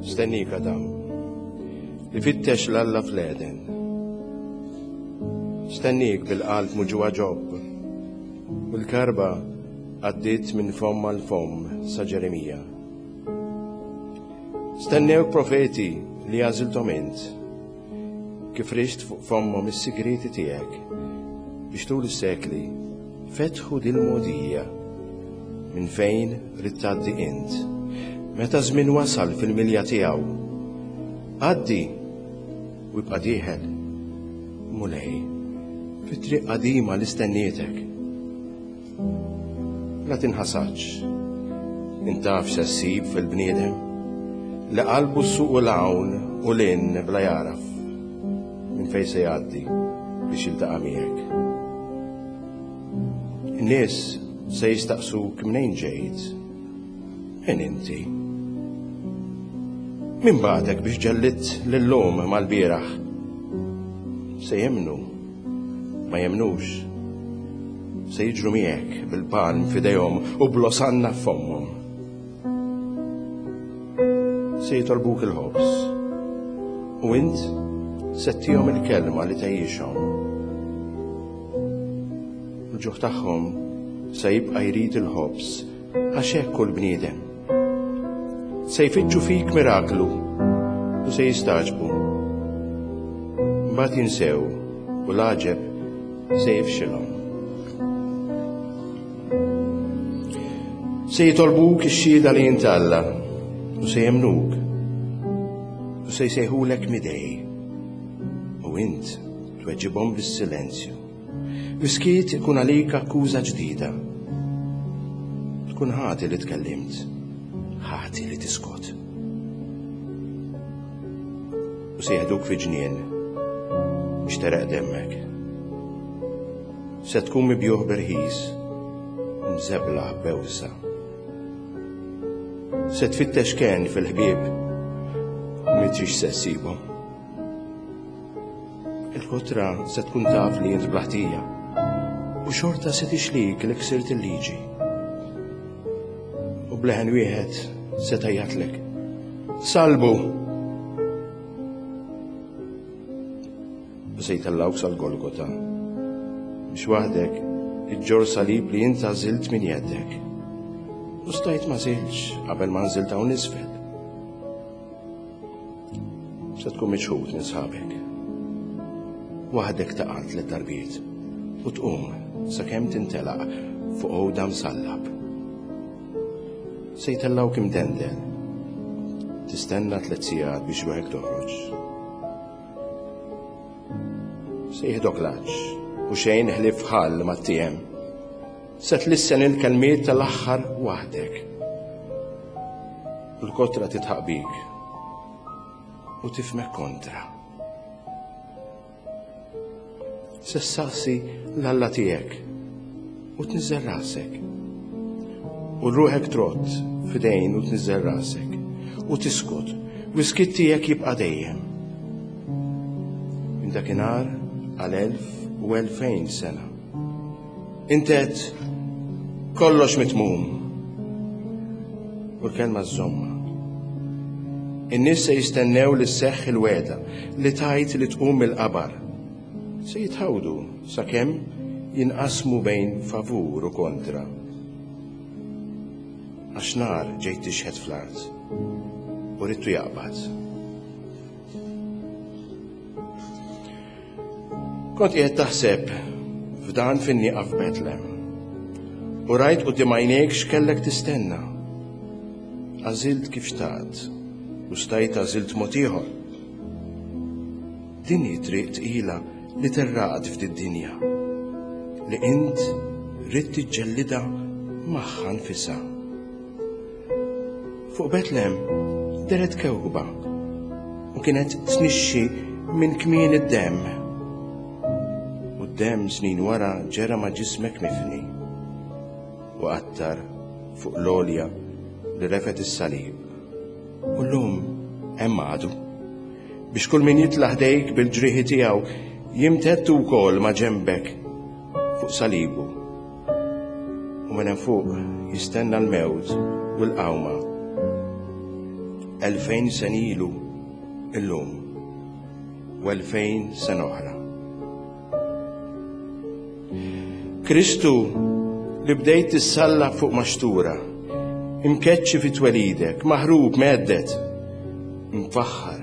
Stennik Adam, li fittex l-Alla fl-Eden. Stennik bil-qalb muġugħa Ġob, u l-karba għaddiet minn fomm għal fomm sa Ġeremija. Stennewk profeti li għażilthom int, kif rixt fuq fommhom is-sigrieti tiegħek, biex tul is-sekli fetħu dil-mogħdija minn fejn ridt tgħaddi int. Meta żmien wasal fil-milja tiegħu, għaddi u ibqa' dieħel, Mulej, fit-triq qadima li stennietek. La tinħasadx. Int taf se ssib fil-bniedem li qalbu ssuqu 'l hawn u 'l hinn bla jagħraf minn fejn se jgħaddi biex jiltaqa' miegħek. In-nies se jistaqsuk mnejn ġejt. Min inti? Min bagħtek biex ġellidt lil-lum mal-bieraħ? Se jemmnu? Ma jemmnux. Se jiġru miegħek bil-palm f'idejhom u bl-osanna f'fommhom. Se jitolbuk il-ħobż. U int se ttihom il-kelma li tgħejjixhom. Il-ġuħ tagħhom se jibqa' jrid il-ħobż Għax hekk hu l-bniedem. Se jfittxu fik miraklu u se jistagħġbu. Mbagħad jinsew u l-għaġeb se jifxilhom. Se jitolbuk ix-xhieda li int Alla u se jemmnuk u se jsejħulek midej u int tweġibhom bis-silenzju. Is-skiet ikun għalik akkuża ġdida. Tkun ħati li tkellimt, ħati li tiskot. U se jeħduk fi ġnien biex tereq demmek. Se tkun mibjuħ b'irħis, mżebla bewsa. Se tfittex ken fil-ħbieb, m'intix se ssibhom. Il-kotra se tkun taf li int bla ħtija u xorta se tixlik li ksirt il-liġi. U bleħen wieħed se tgħajjatlek. Salbu! U se jtellgħuk sal-Golgota biex waħdek iġġor salib li int għażilt minn jeddek. U stajt ma żilx qabel ma nżilt hawn isfel. Se tkun miċħud minn sħabek. Waħdek taqa' tliet darbiet u tqum sakemm tintelaq fuq għoda msallab. Se jtellgħuk imdendel. Tistenna tlet sigħat biex ruħek toħroġ. Se jieħdok l-għatx u xejn ħlief ħall ma ttiehem. Se tlissen il-kelmiet tal-aħħar waħdek. U l-kotra titħaq bik u tifmek kontra. Se ssaqsi l-Alla tiegħek u tniżżel rasek. U ruħek trott f'idejn u tniżżel rasek u tiskot u s-skiet tiegħek jibqa' dejjem. Minn dakinhar għal 1000 u 2000 sena. Int għedt kollox mitmum. U l-kelma żżommha. In-nies se jistennew li sseħħ il-wegħda li tajt li tqum mill-qabar. Se jitħawdu sakemm jinqasmu bejn favur u kontra. Għax nar ġejt tixħet fl-art u ridtu jaqbad. Kont qiegħed taħseb f'dan fin-nieqa f'Betlem. U rajt quddiem għajnejk x'kellek tistenna. Għażilt kif xtaqt u stajt għażilt mod ieħor. Din hi triq tqila li terraqt f'did-dinja li int ridt tiġġellidha magħha nfisha. Fuq Betlem deret kewkba u kienet tnixxi minn kmien id-demm. U d-demm snin wara ġera ma' ġismek mifni u qattar fuq l-għolja li refet is-salib. U llum hemm għadu biex kull min jitla' ħdejk bil-ġrieħi tiegħu jimtedd wkoll ma' ġenbek fuq salibu. U minn hemm fuq jistenna l-mewt u l-qawma. 2000 sena ilu illum u 2000 sena oħra. Kristu li bdejt tissallab fuq maxtura, imkeċċi fi twelidek, maħrub mhedded, mfaħħar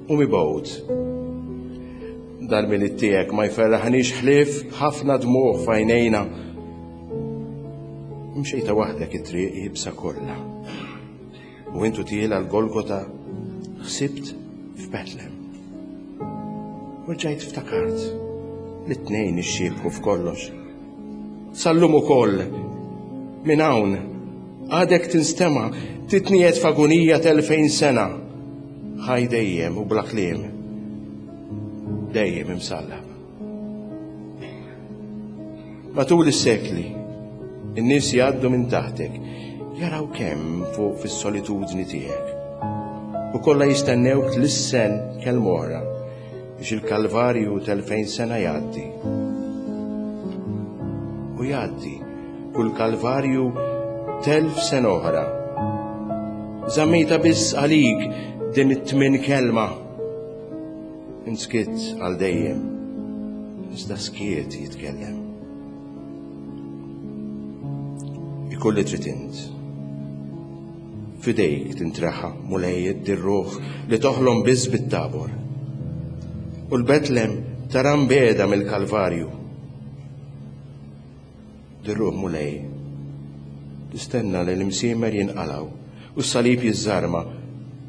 u mibgħud. Dal-milied tiegħek ma jferraħniex ħlief ħafna dmugħ f'għajnejna. Mxejta waħdek it-triq iebsa kollha. U intu tiela l-Golgota ħsibt f'Betlem. U rġajt ftakart li t-tnejn ixxiebħu f'kollox. Sal-lum ukoll minn hawn għadek tinstema' titniegħed f'agunija t'elfejn sena. Ħaj dejjem u bla kliem. Dejjem imsallab. Matul is-sekli, in-nies jgħaddu minn taħtek, jaraw kemm fuq fis-solitudni tiegħek. U kollha jistennewk tlissen kelma oħra biex il-Kalvarju t'elfejn sena jgħaddi. U jgħaddi kull Kalvarju t'elf sena oħra. Żammejta biss għalik din it-tmien kelma. Inskitt għal dejjem, iżda skiet jitkellem. Ikun li trid int. F'idejk tintreħa, Mulej, dir-ruħ li toħlom biss bit-Tabor. U l-Betlem tara mbiegħda mill-Kalvarju. Dir-ruħ, Mulej, tistenna li l-imsiemer jinqalgħu u s-salib jiżżarma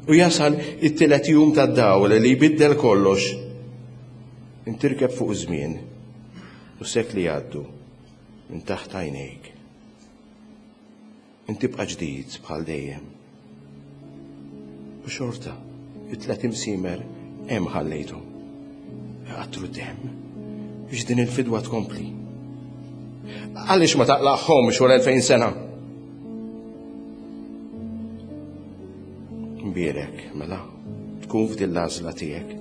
u jasal it-tielet jum tad-dawl li jbiddel kollox. Intirkeb fuq iż-żmien u sekli jgħaddu minn taħt għajnejk. Int tibqa' ġdid bħal dejjem. U xorta, it-tlet imsiemer hemm ħallejthom. Iqattru d-demm biex din il-fidwa tkompli. Għaliex ma taqlagħhomx wara 2000 sena? Mbierek, mela, tkun f'din l-għażla tiegħek.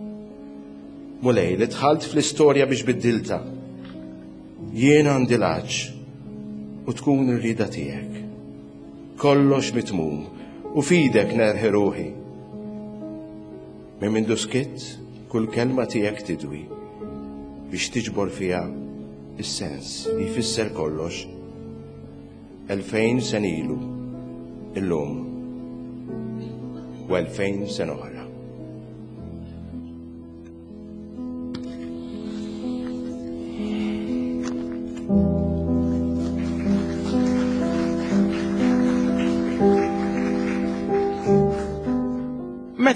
Mulej, li dħalt fl-istorja biex biddilta. Jien għandi l-għatx u tkun ir-rieda tiegħek. Kollox mitmum u f'idek nerħi ruħi. Minn mindu skitt kull kelma tiegħek tidwi biex tiġbor fiha is-sens li jfisser kollox. 2000 sena ilu, illum u 2000 sena oħra.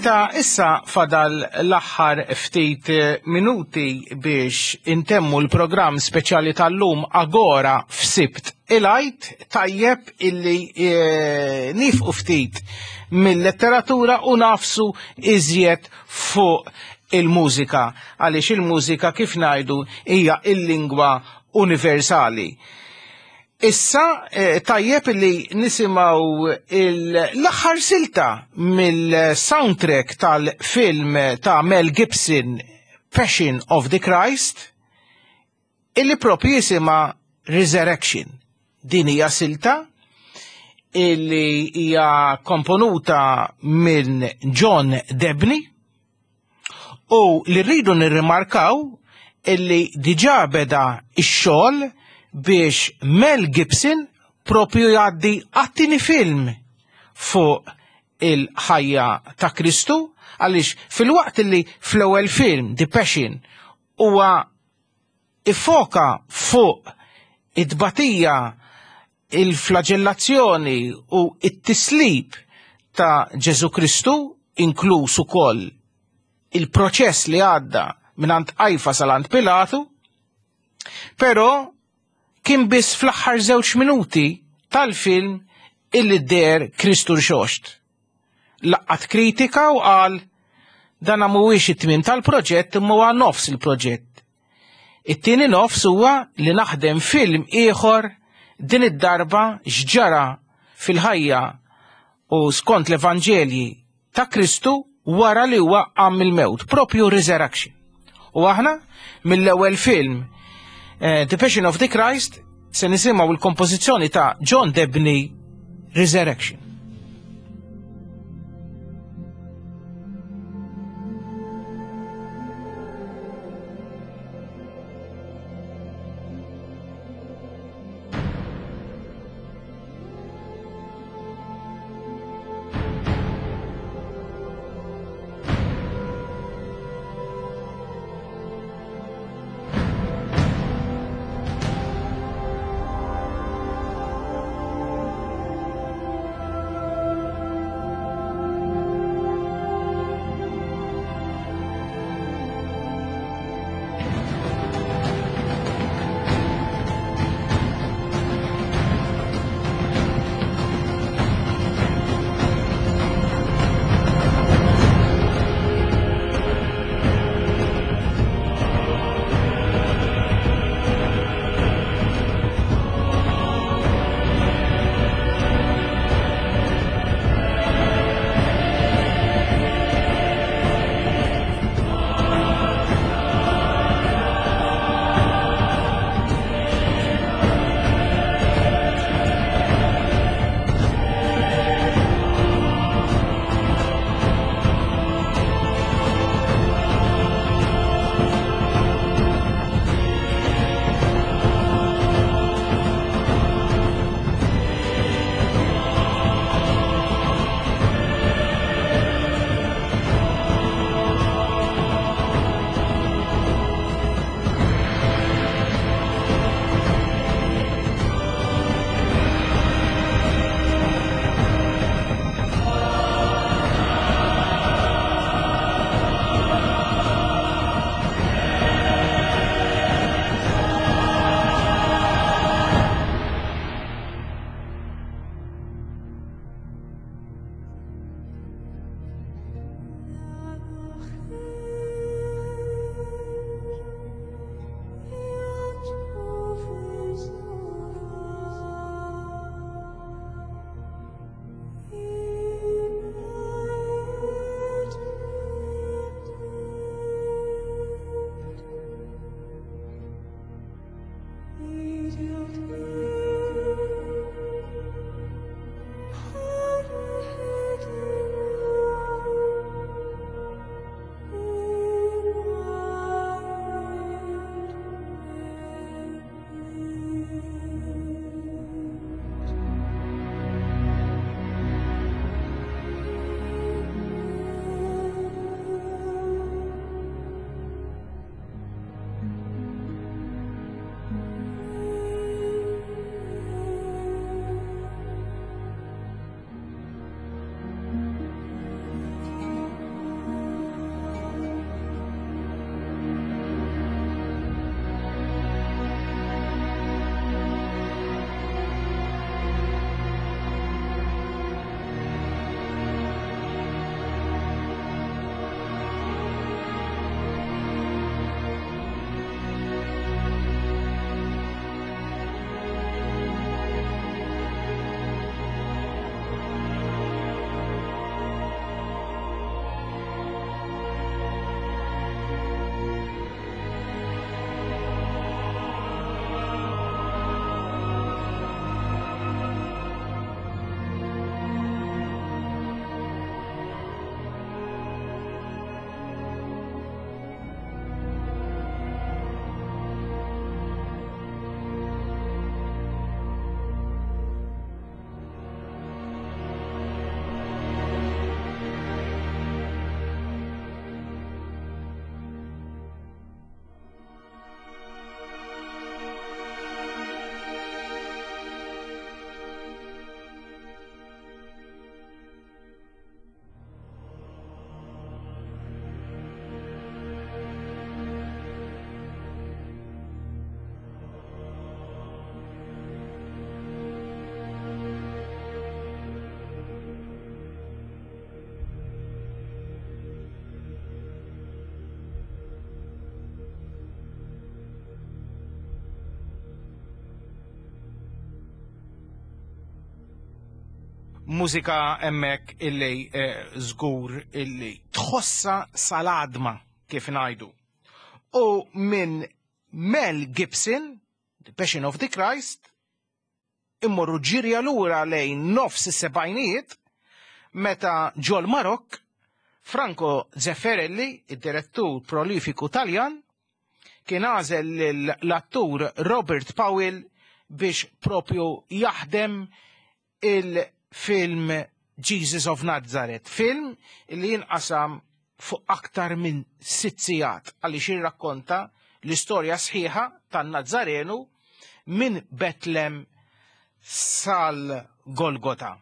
Meta issa fadal l-aħħar ftit eh, minuti biex intemmu l-programm speċjali tal-lum Agora f'Sibt il-Għid, tajjeb illi eh, nifqu ftit mill-letteratura u nafsu iżjed fuq il-mużika, għaliex il-mużika kif ngħidu hija il-lingwa universali. Issa eh, tajjeb li nisimgħu l-aħħar silta mill-soundtrack tal-film ta' Mel Gibson Passion of the Christ illi propju jisimha Resurrection. Din hija silta illi hija komponuta minn John Debney U li rridu nirrimarkaw illi diġà beda x-xogħol biex Mel Gibson propju jgħaddi għat-tieni film fuq il-ħajja ta' Kristu għaliex filwaqt li fl-ewwel film The Passion huwa iffoka fuq it-tbatija, il-flaġellazzjoni u it-tislib ta' Ġesu Kristu, inkluż ukoll il-proċess li għadda minn Qajfa sal-għand Pilatu, però kien biss fl-aħħar żewġ minuti tal-film illi deher Kristu rxoxt. Laqat kritika u qal dan mhuwiex it-tmiem tal-proġett imma huwa nofs il-proġett. It-tieni nofs huwa li naħdem film ieħor din id-darba x'ġara fil-ħajja u skont l-Evanġelji ta' Kristu wara li huwa qam mill-mewt, propju Resurrection. U aħna mill-ewwel film eh, The Passion of the Christ se nisimgħu l-kompożizzjoni ta' John Debney Resurrection. Mużika hemmhekk illi eh, żgur illi tħossa sal-għadma kif ngħidu. U minn Mel Gibson, The Passion of the Christ, immorru ġirja lura lejn nofs is-sebgħinijiet meta ġol Marokk Franco Zeffirelli, id-direttur prolifiku Taljan, kien għażel l-attur Robert Powell biex propju jaħdem il-film Jesus of Nazareth, film li jinqasam fuq aktar minn sitt sigħat għaliex jirrakkonta l-istorja sħiħa tan-Nazzarenu minn Betlem sal-Golgota.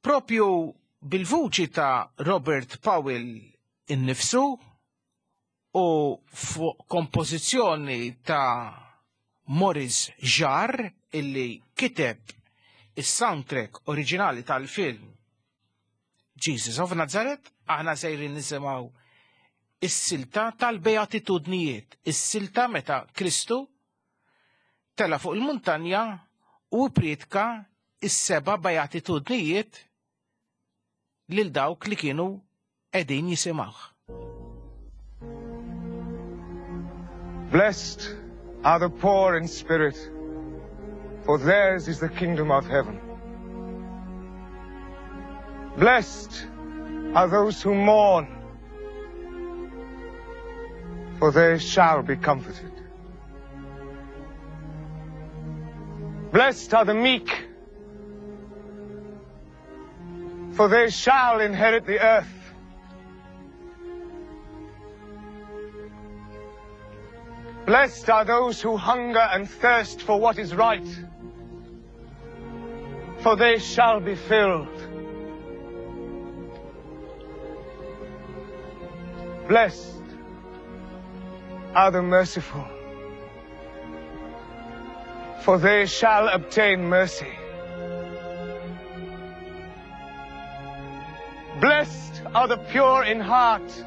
Propju bil-vuċi ta' Robert Powell innifsu u fuq kompożizzjoni ta' Maurice Jarre illi kiteb is-soundtrack oriġinali tal-film Jesus of Nazareth, aħna sejrin nisimgħu is-silta tal-beatitudnijiet, is-silta meta Kristu tela fuq il-muntanja u priedka is-seba' beatitudnijiet lil dawk li kienu qegħdin jisimgħuh. Blessed are the poor in spirit, for theirs is the kingdom of heaven. Blessed are those who mourn, for they shall be comforted. Blessed are the meek, for they shall inherit the earth. Blessed are those who hunger and thirst for what is right, for they shall be filled. Blessed are the merciful, for they shall obtain mercy. Blessed are the pure in heart,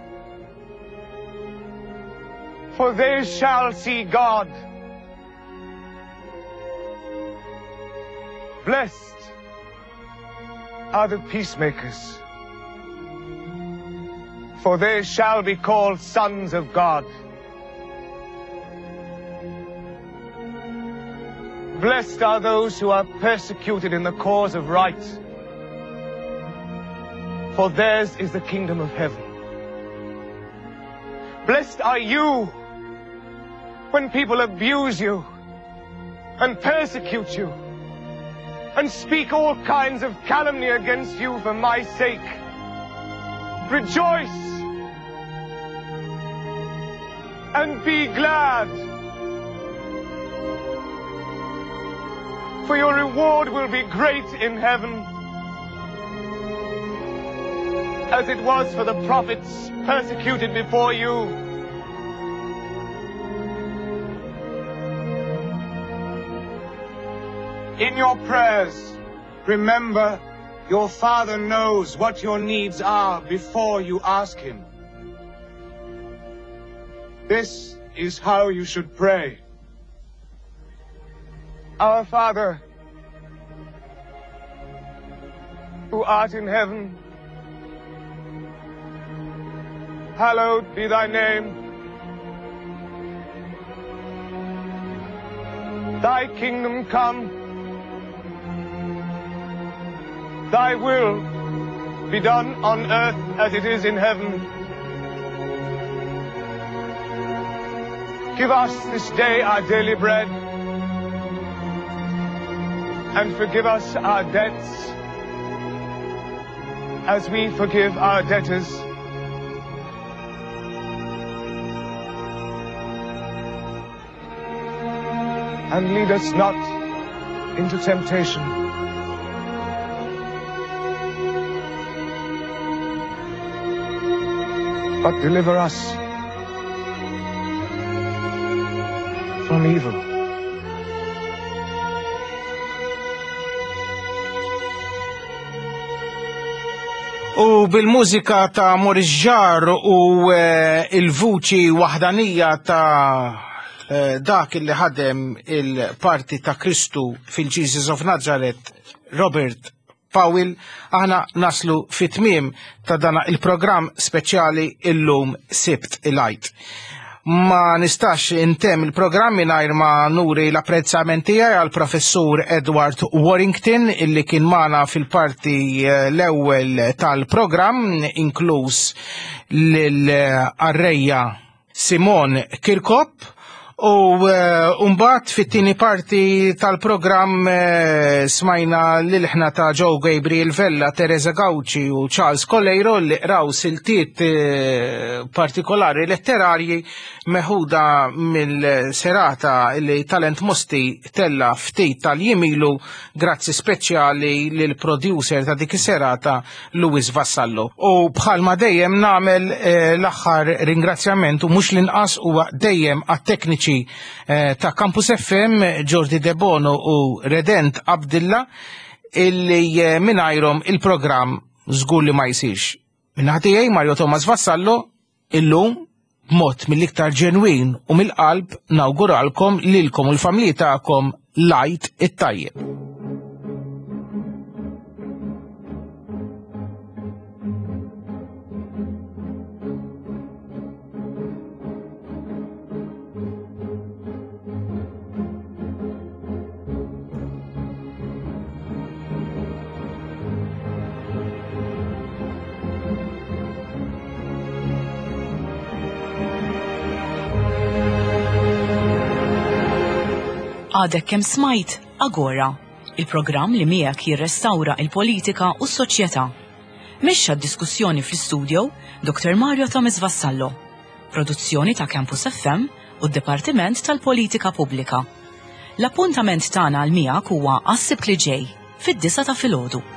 for they shall see God. Blessed are the peacemakers, for they shall be called sons of God. Blessed are those who are persecuted in the cause of right, for theirs is the kingdom of heaven. Blessed are you when people abuse you and persecute you and speak all kinds of calumny against you for my sake. Rejoice and be glad, for your reward will be great in heaven, as it was for the prophets persecuted before you. In your prayers, remember your Father knows what your needs are before you ask Him. This is how you should pray. Our Father, who art in heaven, hallowed be thy name. Thy kingdom come, thy will be done on earth as it is in heaven. Give us this day our daily bread, and forgive us our debts, as we forgive our debtors. And lead us not into temptation, but deliver us from evil. U bil-mużika ta' Maurice Jarre u eh, il-vuċi waħdanija ta' eh, dak li ħadem il-parti ta' Kristu fil-Jesus of Nazareth, Robert Powell, aħna naslu fit-tmiem ta' dana il-programm speċjali illum Sibt il-Għid. Ma nistax intemm il-programm mingħajr ma nuri l-apprezzament tiegħi għal professur Edward Warrington illi kien magħna fil-parti eh, l-ewwel tal-programm inkluż lil-arrejja Simon Kirkop u eh, mbagħad fit-tieni parti tal-programm eh, smajna l-ilħna ta' Joe Gabriel Vella, Teresa Gauci u Charles Coleiro li qraw siltiet eh, partikolari letterarji meħuda mill-serata li Talent Mosti tella ftit tal-jimilu grazzi speċjali lil producer ta' dik is-serata Louis Vassallo. U bħalma dejjem nagħmel eh, l-aħħar ringrazzjament u mhux l-inqas huwa dejjem għat-tekniċi eh, ta' Campus FM Jordi Debono u Redent Abdilla illi eh, mingħajrhom il-programm żgur li ma jsirx. Minnaħa tiegħi Mario Thomas Vassallo illum b'mod mill-iktar ġenwin u mill-qalb nawguralkom lilkom u l-familji tagħkom l-Għid it-tajjeb. Għadek kemm smajt Agora, il-programm li miegħek jirrestawra il-politika u s-soċjetà. Mexxa d-diskussjoni fl-istudio Dr. Mario Thomas Vassallo. Produzzjoni ta' Campus FM u d-Dipartiment tal-Politika Pubblika. L-appuntament tagħna għal miegħek huwa għas-Sibt li ġej, fid-disgħa ta' filgħodu.